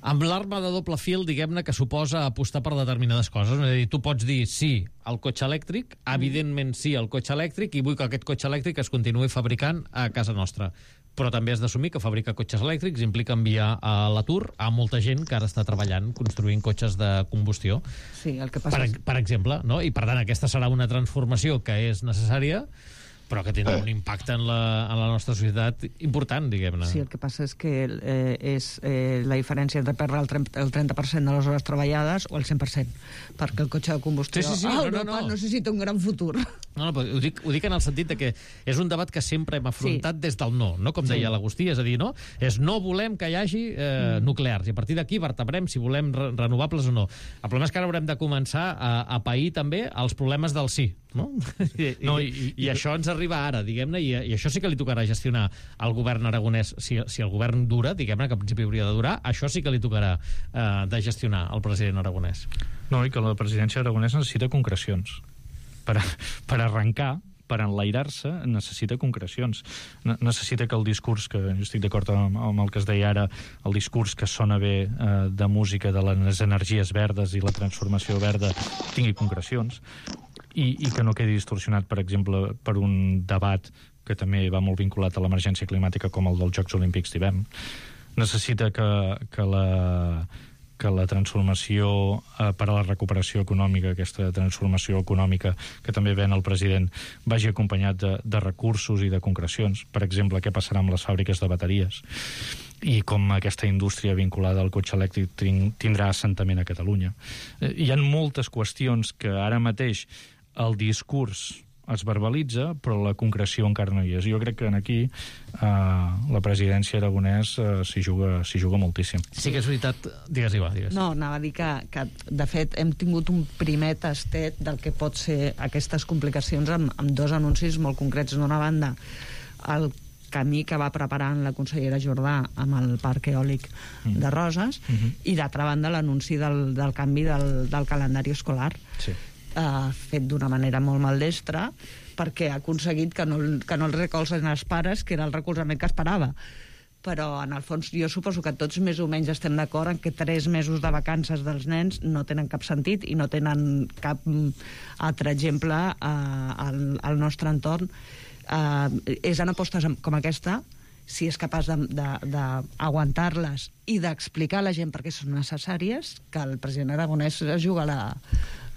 amb l'arma de doble fil, diguem-ne, que suposa apostar per determinades coses. És a dir, tu pots dir sí al cotxe elèctric, evidentment sí al cotxe elèctric, i vull que aquest cotxe elèctric es continuï fabricant a casa nostra. Però també has d'assumir que fabricar cotxes elèctrics implica enviar a l'atur a molta gent que ara està treballant construint cotxes de combustió. Sí, el que passa per exemple, no? I per tant aquesta serà una transformació que és necessària, però que tindrà un impacte en la nostra societat important, diguem-ne. Sí, el que passa és que és la diferència entre perdre el 30% de les hores treballades o el 100%, perquè el cotxe de combustió a Europa necessita un gran futur. No, però ho dic en el sentit de que és un debat que sempre hem afrontat des del no, com deia l'Agustí, és a dir, no volem que hi hagi nuclears, i a partir d'aquí vertebrem si volem renovables o no. El problema és que ara haurem de començar a pair també els problemes del sí, no? I això ens arriba ara, diguem-ne, i això sí que li tocarà gestionar al govern aragonès, si el govern dura, diguem-ne, que al principi hauria de durar, això sí que li tocarà de gestionar al president aragonès. No, i que la presidència aragonès necessita concrecions per arrencar, per enlairar-se necessita concrecions. Necessita que el discurs, que jo estic d'acord amb el que es deia ara, el discurs que sona bé de música de les energies verdes i la transformació verda tingui concrecions i que no quedi distorsionat, per exemple, per un debat que també va molt vinculat a l'emergència climàtica com el dels Jocs Olímpics d'hivern. Necessita que la transformació per a la recuperació econòmica, aquesta transformació econòmica que també ven el president, vagi acompanyat de recursos i de concrecions. Per exemple, què passarà amb les fàbriques de bateries i com aquesta indústria vinculada al cotxe elèctric tindrà assentament a Catalunya. Hi ha moltes qüestions que ara mateix el discurs es verbalitza, però la concreció encara no hi és. Jo crec que aquí la presidència Aragonès s'hi juga moltíssim. Sí que és veritat... Digues, Iva, digues. No, anava a dir que, de fet, hem tingut un primer tastet del que pot ser aquestes complicacions amb dos anuncis molt concrets. D'una banda, el camí que va preparant la consellera Jordà amb el parc eòlic de Roses, i d'altra banda l'anunci del canvi del calendari escolar. Sí. Fet d'una manera molt maldestra, perquè ha aconseguit que no el recolzen els pares, que era el recolzament que esperava. Però, en el fons, jo suposo que tots més o menys estem d'acord en que 3 mesos de vacances dels nens no tenen cap sentit i no tenen cap altre exemple al nostre entorn. És en apostes com aquesta, si és capaç d'aguantar-les i d'explicar a la gent per què són necessàries, que el president Aragonès es juga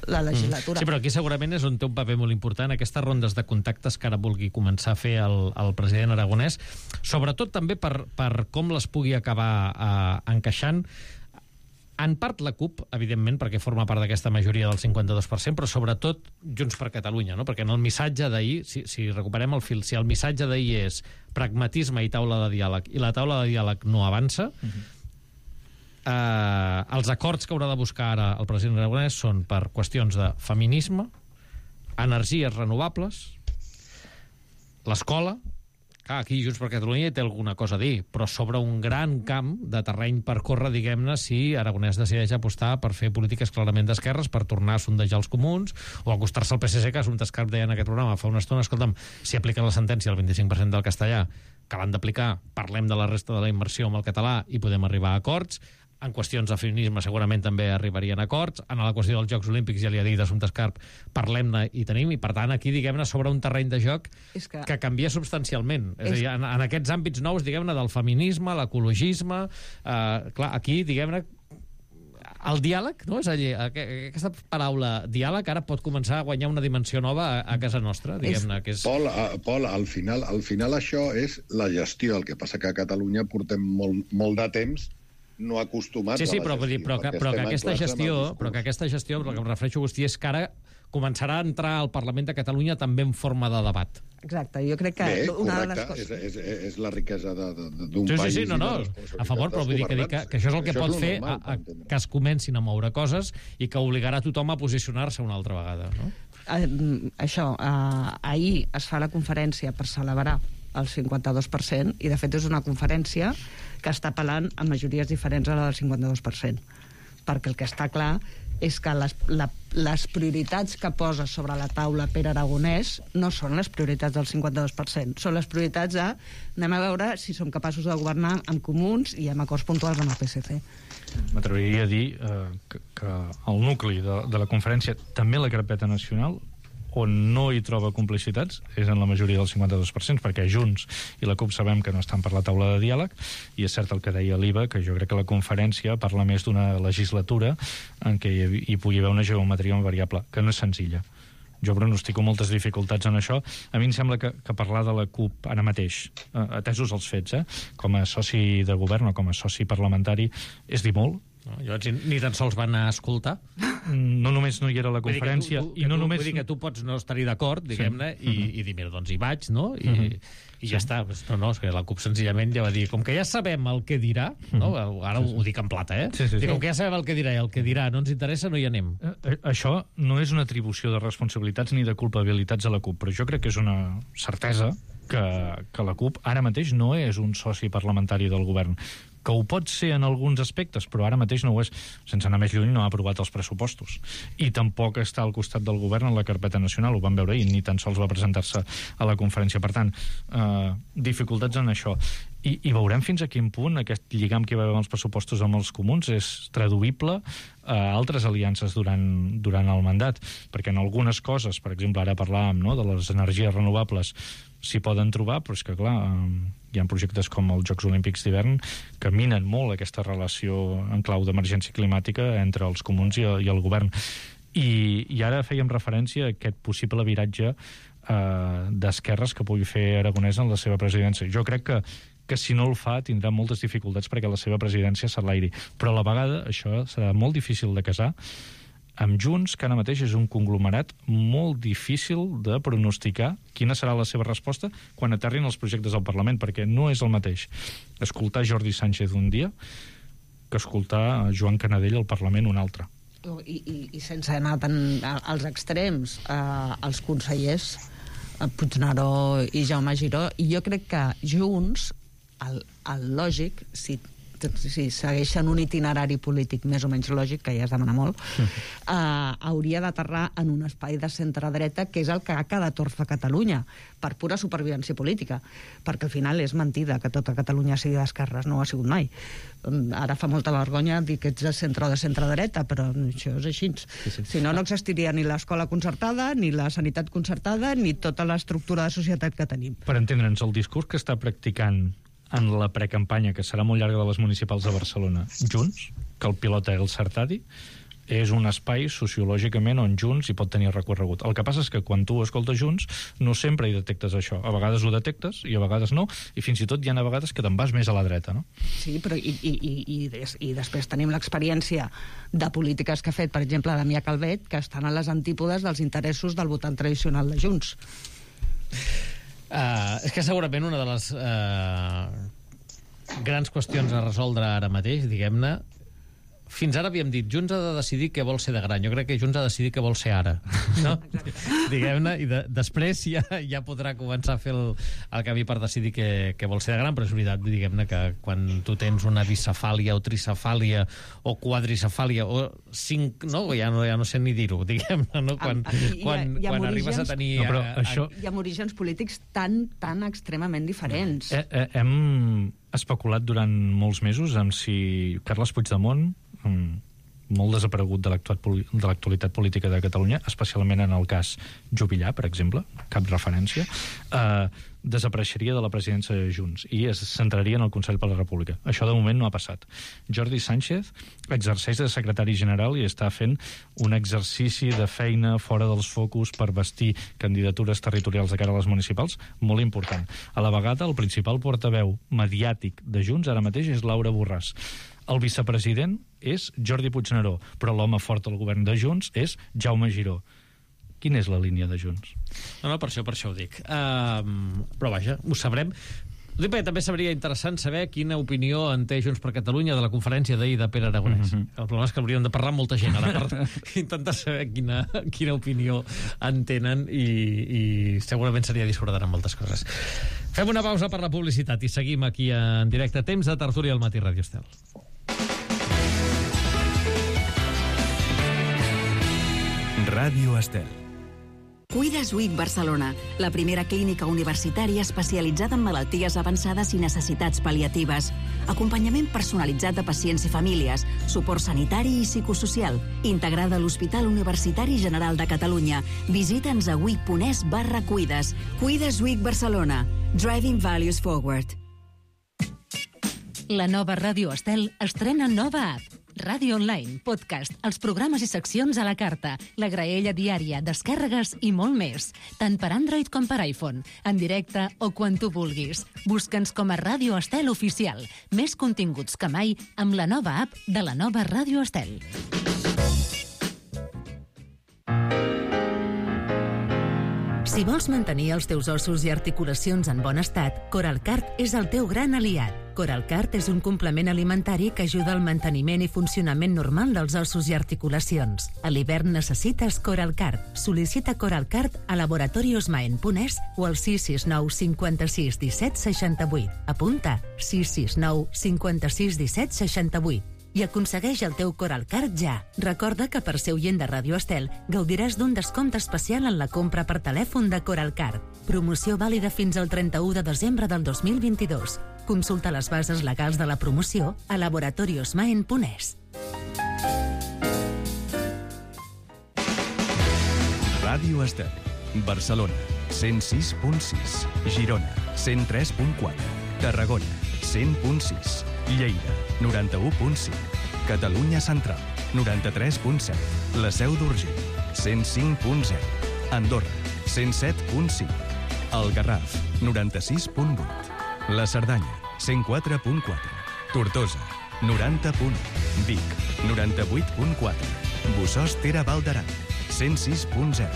la legislatura. Sí, però aquí segurament és on té un paper molt important aquestes rondes de contactes que ara vulgui començar a fer el president Aragonès, sobretot també per com les pugui acabar encaixant. En part la CUP, evidentment, perquè forma part d'aquesta majoria del 52%, però sobretot Junts per Catalunya, no? Perquè en el missatge d'ahir, si recuperem el fil, si el missatge d'ahir és pragmatisme i taula de diàleg, i la taula de diàleg no avança, els acords que haurà de buscar ara el president Aragonès són per qüestions de feminisme, energies renovables, l'escola. Aquí Junts per Catalunya té alguna cosa a dir, però sobre un gran camp de terreny per córrer, diguem-ne, si Aragonès decideix apostar per fer polítiques clarament d'esquerres, per tornar a sondejar els comuns, o acostar-se al PSC, que Assumpta Escarp deia en aquest programa fa una estona, escolta'm, si apliquen la sentència al 25% del castellà, que l'han d'aplicar, parlem de la resta de la immersió amb el català i podem arribar a acords. En qüestions de feminisme segurament també arribarien a acords. En la qüestió dels Jocs Olímpics, ja li ha dit Assumpta Escarp, parlem-ne i tenim, i per tant aquí, diguem-ne, sobre un terreny de joc que canvia substancialment. És a dir, en aquests àmbits nous, diguem-ne, del feminisme, l'ecologisme, clar, aquí, diguem-ne, el diàleg, no? És a dir, aquesta paraula diàleg ara pot començar a guanyar una dimensió nova a casa nostra, diguem-ne. Pol, al final això és la gestió. El que passa que a Catalunya portem molt de temps no acostumats a la gestió. Però que aquesta gestió, el que em refereixo, Agustí, és que ara començarà a entrar al Parlament de Catalunya també en forma de debat. Exacte, jo crec que una de les coses... És la riquesa d'un país. Sí, a favor, però vull dir que això és el que pot fer que es comencin a moure coses i que obligarà tothom a posicionar-se una altra vegada, no? Ahir es fa la conferència per celebrar el 52%, i de fet és una conferència que està apel·lant a majories diferents a la del 52%, perquè el que està clar és que les prioritats que posa sobre la taula Pere Aragonès no són les prioritats del 52%, són les prioritats de anem a veure si som capaços de governar amb comuns i amb acords puntuals amb el PSC. M'atreviria a dir que el nucli de la conferència, també la carpeta nacional, on no hi troba complicitats és en la majoria del 52%, perquè Junts i la CUP sabem que no estan per la taula de diàleg, i és cert el que deia l'Iva, que jo crec que la conferència parla més d'una legislatura en què hi pugui haver una geometria variable, que no és senzilla. Jo pronostico moltes dificultats en això. A mi em sembla que parlar de la CUP ara mateix, atesos els fets, com a soci de govern o com a soci parlamentari, és dir molt. No, llavors ni tan sols van a escoltar. No només no hi era la conferència, vull dir que tu pots no estar-hi d'acord, diguem-ne, i dir, mira, doncs hi vaig, no? I ja està. No, és que la CUP senzillament ja va dir, com que ja sabem el que dirà, no? Ara ho dic en plata, com que ja sabem el que dirà i el que dirà no ens interessa, no hi anem. Això no és una atribució de responsabilitats ni de culpabilitats a la CUP, però jo crec que és una certesa que la CUP ara mateix no és un soci parlamentari del govern. que ho pot ser en alguns aspectes, però ara mateix no ho és. Sense anar més lluny, no ha aprovat els pressupostos. I tampoc està al costat del govern en la carpeta nacional, ho vam veure ahir, ni tan sols va presentar-se a la conferència. Per tant, dificultats en això. I veurem fins a quin punt aquest lligam que hi va haver amb els pressupostos amb els comuns és traduïble a altres aliances durant el mandat, perquè en algunes coses, per exemple, ara parlàvem, no?, de les energies renovables, s'hi poden trobar, però és que, clar, hi ha projectes com els Jocs Olímpics d'hivern que minen molt aquesta relació en clau d'emergència climàtica entre els comuns i el govern. I ara fèiem referència a aquest possible viratge d'esquerres que pugui fer Aragonès en la seva presidència. Jo crec que si no el fa tindrà moltes dificultats perquè la seva presidència s'enlairi. Però a la vegada això serà molt difícil de casar amb Junts, que ara mateix és un conglomerat molt difícil de pronosticar quina serà la seva resposta quan aterrin els projectes al Parlament, perquè no és el mateix escoltar Jordi Sánchez un dia que escoltar Joan Canadell al Parlament un altre. I sense anar tant als extrems, els consellers Puigneró i Jaume Giró, i jo crec que Junts, el lògic, si segueixen un itinerari polític més o menys lògic, que ja es demana molt, hauria d'aterrar en un espai de centre-dreta, que és el que ha quedat orfe a Catalunya, per pura supervivència política, perquè al final és mentida que tota Catalunya sigui d'esquerres, no ho ha sigut mai. Ara fa molta vergonya dir que ets de centre o de centre-dreta, però això és així. Si no, no existiria ni l'escola concertada, ni la sanitat concertada, ni tota l'estructura de societat que tenim. Per entendre'ns, el discurs que està practicant en la precampanya, que serà molt llarga, de les municipals de Barcelona, Junts, que el pilota El Sartadi, és un espai sociològicament on Junts hi pot tenir recorregut. El que passa és que quan tu escoltes Junts no sempre hi detectes això. A vegades ho detectes i a vegades no, i fins i tot hi ha a vegades que te'n vas més a la dreta, no? Sí, però i després tenim l'experiència de polítiques que ha fet, per exemple, Damià Calvet, que estan a les antípodes dels interessos del votant tradicional de Junts. És que segurament una de les grans qüestions a resoldre ara mateix, diguem-ne, fins ara havíem dit Junts ha de decidir què vol ser de gran. Jo crec que Junts ha de decidir què vol ser ara, no? Diguem-ne, i després ja podrà començar a fer el camí per decidir què vol ser de gran, però és veritat, diguem-ne, que quan tu tens una bicefàlia o tricefàlia o quadricefàlia o cinc, no? Ja no sé ni dir-ho, diguem-ne, no? Quan arribes a tenir... No, però això... Hi ha orígens polítics tan extremament diferents. Hem especulat durant molts mesos amb si Carles Puigdemont, molt desaparegut de l'actualitat política de Catalunya, especialment en el cas Juvillà, per exemple, cap referència, desapareixeria de la presidència de Junts i es centraria en el Consell per la República. Això de moment no ha passat. Jordi Sánchez exerceix de secretari general i està fent un exercici de feina fora dels focus per vestir candidatures territorials de cara a les municipals molt important. A la vegada, el principal portaveu mediàtic de Junts ara mateix és Laura Borràs. El vicepresident és Jordi Puigneró, però l'home fort del govern de Junts és Jaume Giró. Quina és la línia de Junts? No, per això ho dic. Però vaja, ho sabrem. També seria interessant saber quina opinió en té Junts per Catalunya de la conferència d'ahir de Pere Aragonès. El problema és que hauríem de parlar amb molta gent ara per intentar saber quina opinió en tenen i segurament seria discordant amb moltes coses. Fem una pausa per la publicitat i seguim aquí en directe. Temps de tertúlia al Matí Ràdio Estel. Ràdio Estel. Cuides Week Barcelona, la primera clínica universitària especialitzada en malalties avançades i necessitats pal·liatives. Acompanyament personalitzat de pacients i famílies, suport sanitari i psicosocial, integrada a l'Hospital Universitari General de Catalunya. Visita'ns a week.es/cuides. Cuides Week Barcelona. Driving Values Forward. La nova Ràdio Estel estrena nova app. Ràdio online, podcast, els programes i seccions a la carta, la graella diària, descàrregues i molt més. Tant per Android com per iPhone, en directe o quan tu vulguis. Busca'ns com a Ràdio Estel Oficial. Més continguts que mai amb la nova app de la nova Ràdio Estel. Si vols mantenir els teus ossos i articulacions en bon estat, Coralcart és el teu gran aliat. Coralcart és un complement alimentari que ajuda al manteniment i funcionament normal dels ossos i articulacions. A l'hivern necessites Coralcart. Sol·licita Coralcart a laboratoriosmaen.es o al 669 56 17 68. Apunta 669 56 17 68 i aconsegueix el teu Coralcart ja. Recorda que per ser oient de Ràdio Estel gaudiràs d'un descompte especial en la compra per telèfon de Coralcart. Promoció vàlida fins al 31 de desembre del 2022. Consulta les bases legals de la promoció a laboratoriosmaen.es. Ràdio Estel, Barcelona, 106.6, Girona, 103.4, Tarragona, 100.6, Lleida, 91.5, Catalunya Central, 93.7, la Seu d'Urgell, 105.0, Andorra, 107.5, el Garraf, 96.8, la Cerdanya, 104.4, Tortosa, 90.1, Vic, 98.4, Bossòst Tere Val d'Aran, 106.0.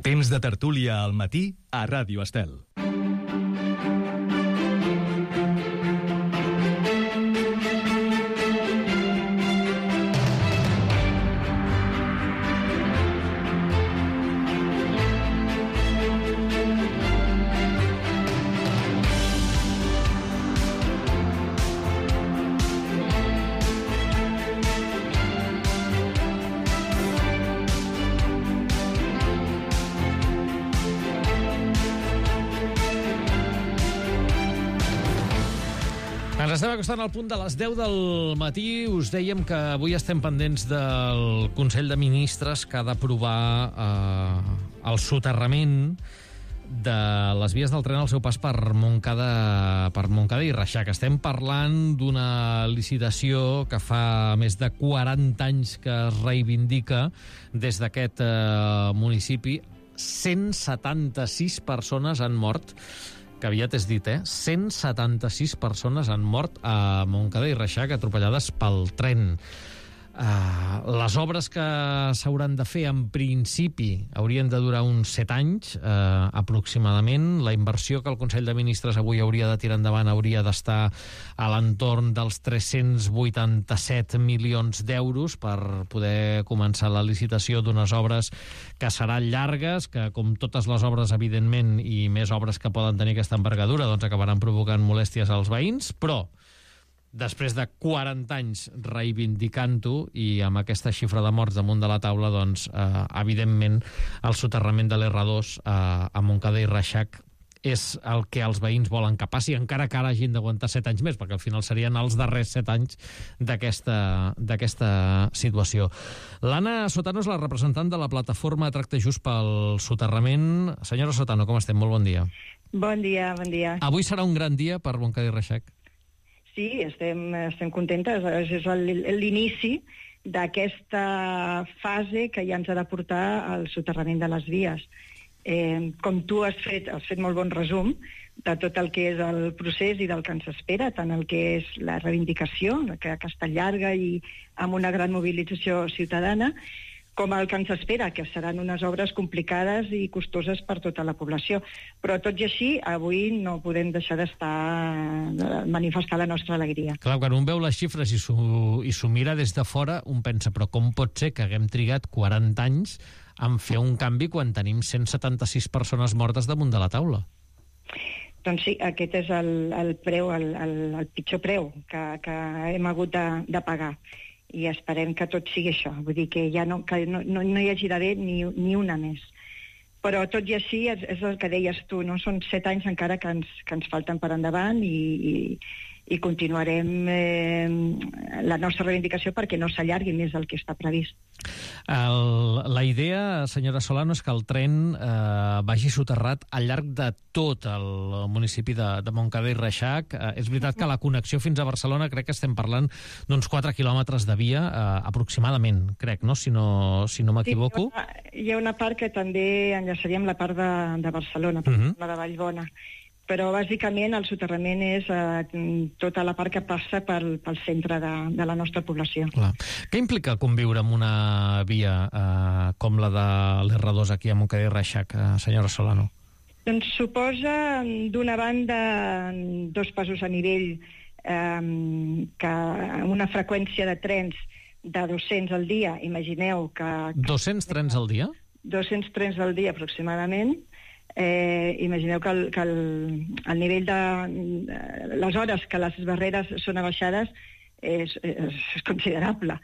Temps de tertúlia al matí a Ràdio Estel. Ens estem acostant al punt de les 10 del matí. Us dèiem que avui estem pendents del Consell de Ministres que ha d'aprovar el soterrament de les vies del tren al seu pas per Montcada i Reixac. Estem parlant d'una licitació que fa més de 40 anys que es reivindica des d'aquest municipi. 176 persones han mort, que aviat és dit, 176 persones han mort a Montcada i Reixac atropellades pel tren. Les obres que s'hauran de fer, en principi, haurien de durar uns 7 anys, aproximadament. La inversió que el Consell de Ministres avui hauria de tirar endavant hauria d'estar a l'entorn dels 387 milions d'euros per poder començar la licitació d'unes obres que seran llargues, que, com totes les obres, evidentment, i més obres que poden tenir aquesta envergadura, doncs acabaran provocant molèsties als veïns, però després de 40 anys reivindicant-ho i amb aquesta xifra de morts damunt de la taula, doncs, evidentment, el soterrament de l'R2 a Montcada i Reixac és el que els veïns volen que passi, encara que ara hagin d'aguantar 7 anys més, perquè al final serien els darrers 7 anys d'aquesta situació. L'Anna Sotano és la representant de la plataforma Tracte Just pel soterrament. Senyora Sotano, com estem? Molt bon dia. Bon dia, bon dia. Avui serà un gran dia per Montcada i Reixac? Sí, estem contentes. És l'inici d'aquesta fase que ja ens ha de portar al soterrament de les vies. Com tu has fet molt bon resum de tot el que és el procés i del que ens espera, tant el que és la reivindicació, que està llarga i amb una gran mobilització ciutadana, com el que ens espera, que seran unes obres complicades i costoses per tota la població. Però tot i així, avui no podem deixar manifestar la nostra alegria. Clar, quan un veu les xifres i s'ho mira des de fora, un pensa, però com pot ser que haguem trigat 40 anys en fer un canvi quan tenim 176 persones mortes damunt de la taula? Doncs sí, aquest és el preu, el pitjor preu que hem hagut de pagar. I esperem que tot sigui això, vull dir que no hi hagi d'haver ni una més. Però tot i així és el que deies tu, no? Són 7 anys encara que ens falten per endavant i continuarem la nostra reivindicació perquè no s'allargui més del que està previst. La idea, senyora Solano, és que el tren vagi soterrat al llarg de tot el municipi de Montcada i Reixac. És veritat que la connexió fins a Barcelona crec que estem parlant d'uns 4 quilòmetres de via, aproximadament, crec, no? Si no m'equivoco. Sí, hi ha una part que també enllaçaríem la part de Barcelona, la de Vallbona. Però, bàsicament, el soterrament és tota la part que passa pel centre de la nostra població. Clar. Què implica conviure amb una via com la de l'R2 aquí a Montcada i Reixac, senyora Solano? Doncs suposa, d'una banda, 2 passos a nivell, que una freqüència de trens de 200 al dia, imagineu que... 200 trens al dia? 200 trens al dia, aproximadament. Imagineu que el nivell de les hores que les barreres són abaixades és considerable.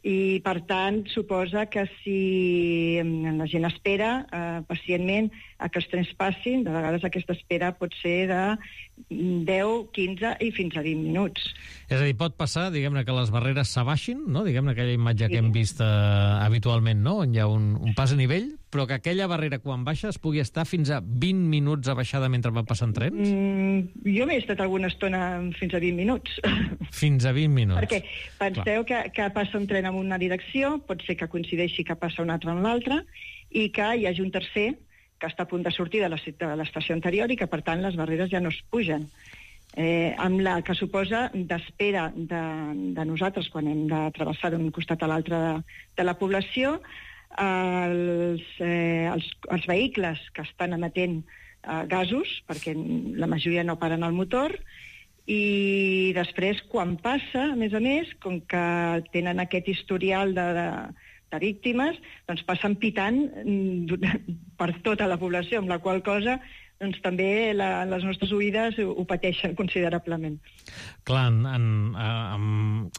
I, per tant, suposa que si la gent espera pacientment a que els trens passin, de vegades aquesta espera pot ser de 10, 15 i fins a 20 minuts. És a dir, pot passar, diguem-ne, que les barreres s'abaixin, no? Diguem-ne, aquella imatge que hem vist habitualment, no? On hi ha un pas a nivell, però que aquella barrera, quan baixa, es pugui estar fins a 20 minuts abaixada mentre van passant trens? Jo m'he estat alguna estona fins a 20 minuts. Fins a 20 minuts. Perquè penseu que passa un tren en una direcció, pot ser que coincideixi que passa un altre en l'altra, i que hi hagi un tercer que està a punt de sortir de l'estació anterior i que, per tant, les barreres ja no es pugen. Amb la que suposa d'espera de nosaltres quan hem de travessar d'un costat a l'altre de la població, els vehicles que estan emetent gasos, perquè la majoria no paren el motor, i després, quan passa, a més, com que tenen aquest historial de víctimes, doncs passen pitant per tota la població, amb la qual cosa doncs també les nostres oïdes ho pateixen considerablement. Clar,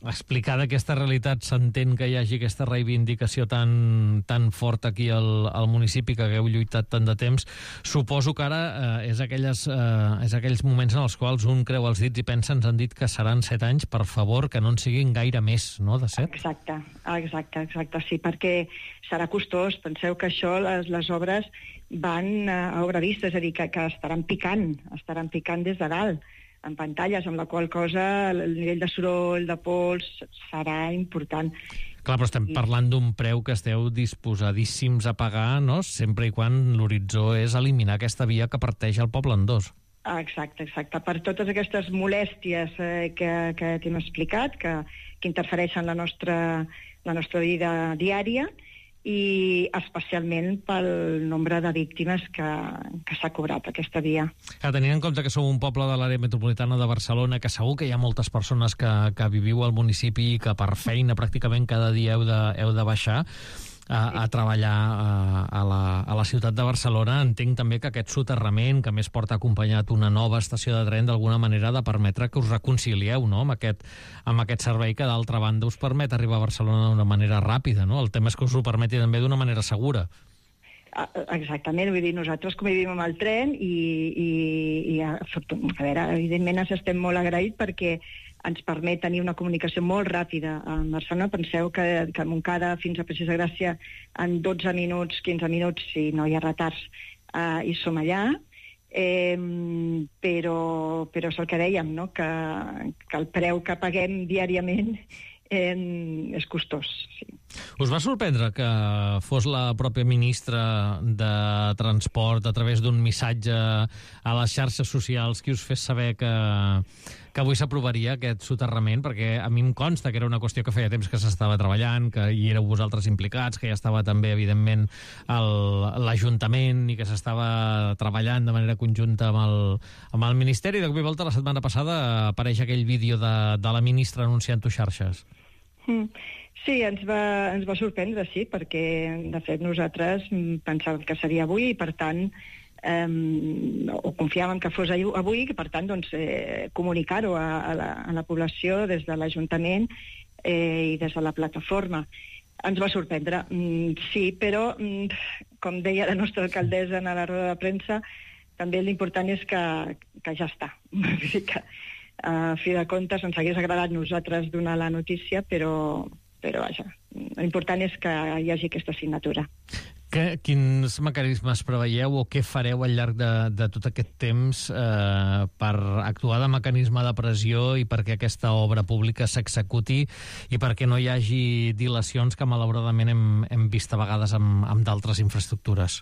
explicada aquesta realitat, s'entén que hi hagi aquesta reivindicació tan forta aquí al municipi, que hagueu lluitat tant de temps. Suposo que ara és aquells moments en els quals un creu els dits i pensa, ens han dit que seran 7 anys, per favor, que no en siguin gaire més, no?, de 7? Exacte, sí, perquè serà costós. Penseu que això, les obres van a obra vista, és a dir, que estaran picant des de dalt, en pantalles, amb la qual cosa el nivell de soroll, de pols, serà important. Clar, però estem parlant d'un preu que esteu disposadíssims a pagar, no?, sempre i quan l'horitzó és eliminar aquesta via que parteix el poble en dos. Exacte. Per totes aquestes molèsties que t'hem explicat, que interfereixen la nostra vida diària, i especialment pel nombre de víctimes que s'ha cobrat aquesta via. Tenint en compte que sou un poble de l'àrea metropolitana de Barcelona, que segur que hi ha moltes persones que viviu al municipi i que per feina pràcticament cada dia heu de baixar a treballar a la ciutat de Barcelona, entenc també que aquest soterrament, que més porta acompanyat una nova estació de tren, d'alguna manera ha de permetre que us reconcilieu, no?, amb aquest servei que, d'altra banda, us permet arribar a Barcelona d'una manera ràpida, no? El tema és que us ho permeti també d'una manera segura. Exactament, vull dir, nosaltres convivim amb el tren i a veure, evidentment estem molt agraïts perquè ens permet tenir una comunicació molt ràpida a Barcelona. Penseu que a Montcada fins a Passeig de Gràcia en 12 minuts, 15 minuts, si no hi ha retards, hi som allà, però és el que dèiem, no?, que el preu que paguem diàriament és costós, sí. Us va sorprendre que fos la pròpia ministra de Transport, a través d'un missatge a les xarxes socials, qui us fes saber que avui s'aprovaria aquest soterrament? Perquè a mi em consta que era una qüestió que feia temps que s'estava treballant, que hi éreu vosaltres implicats, que ja estava també, evidentment, l'Ajuntament i que s'estava treballant de manera conjunta amb el Ministeri. De cop i volta, la setmana passada, apareix aquell vídeo de la ministra anunciant-ho xarxes. Sí, ens va sorprendre, sí, perquè, de fet, nosaltres pensàvem que seria avui i, per tant, o confiàvem que fos avui, i, per tant, doncs, comunicar-ho a la població des de l'Ajuntament i des de la plataforma. Ens va sorprendre, sí, però, com deia la nostra alcaldessa en la roda de premsa, també l'important és que ja està. Vull dir que, a fi de comptes, ens hagués agradat nosaltres donar la notícia, però vaja, l'important és que hi hagi aquesta signatura. Quins mecanismes preveieu o què fareu al llarg de tot aquest temps per actuar de mecanisme de pressió i perquè aquesta obra pública s'executi i perquè no hi hagi dilacions que malauradament hem vist a vegades amb d'altres infraestructures?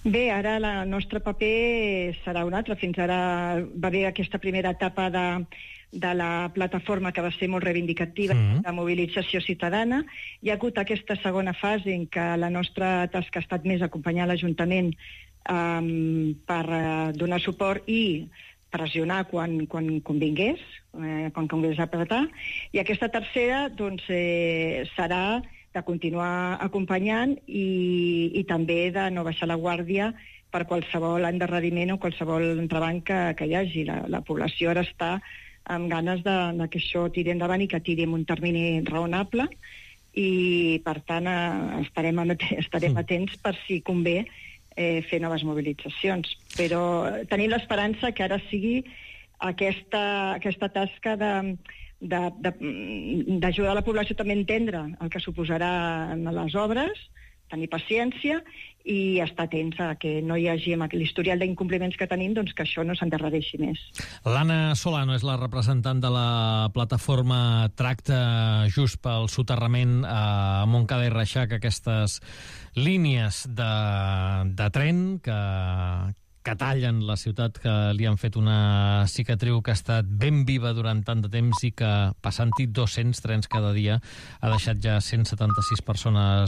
Bé, ara el nostre paper serà un altre. Fins ara va haver aquesta primera etapa de la plataforma que va ser molt reivindicativa, de mobilització ciutadana. Hi ha hagut aquesta segona fase en què la nostra tasca ha estat més acompanyar l'Ajuntament per donar suport i pressionar quan convingués, quan convingués apretar. I aquesta tercera doncs, serà de continuar acompanyant i també de no baixar la guàrdia per qualsevol endarreriment o qualsevol entrebanc que hi hagi. La població ara està amb ganes de que això tiri endavant i que tiri en un termini raonable i, per tant, estarem atents per si convé fer noves mobilitzacions. Però tenim l'esperança que ara sigui aquesta tasca d'ajudar la població també a entendre el que suposarà en les obres, tenir paciència i estar atents a que no hi hagi amb l'historial d'incompliments que tenim, doncs que això no s'endarrereixi més. L'Anna Solano és la representant de la plataforma Tracta Just pel soterrament a Montcada i Reixac, aquestes línies de tren que tallen la ciutat, que li han fet una cicatriu que ha estat ben viva durant tant de temps i que, passant-hi 200 trens cada dia, ha deixat ja 176 persones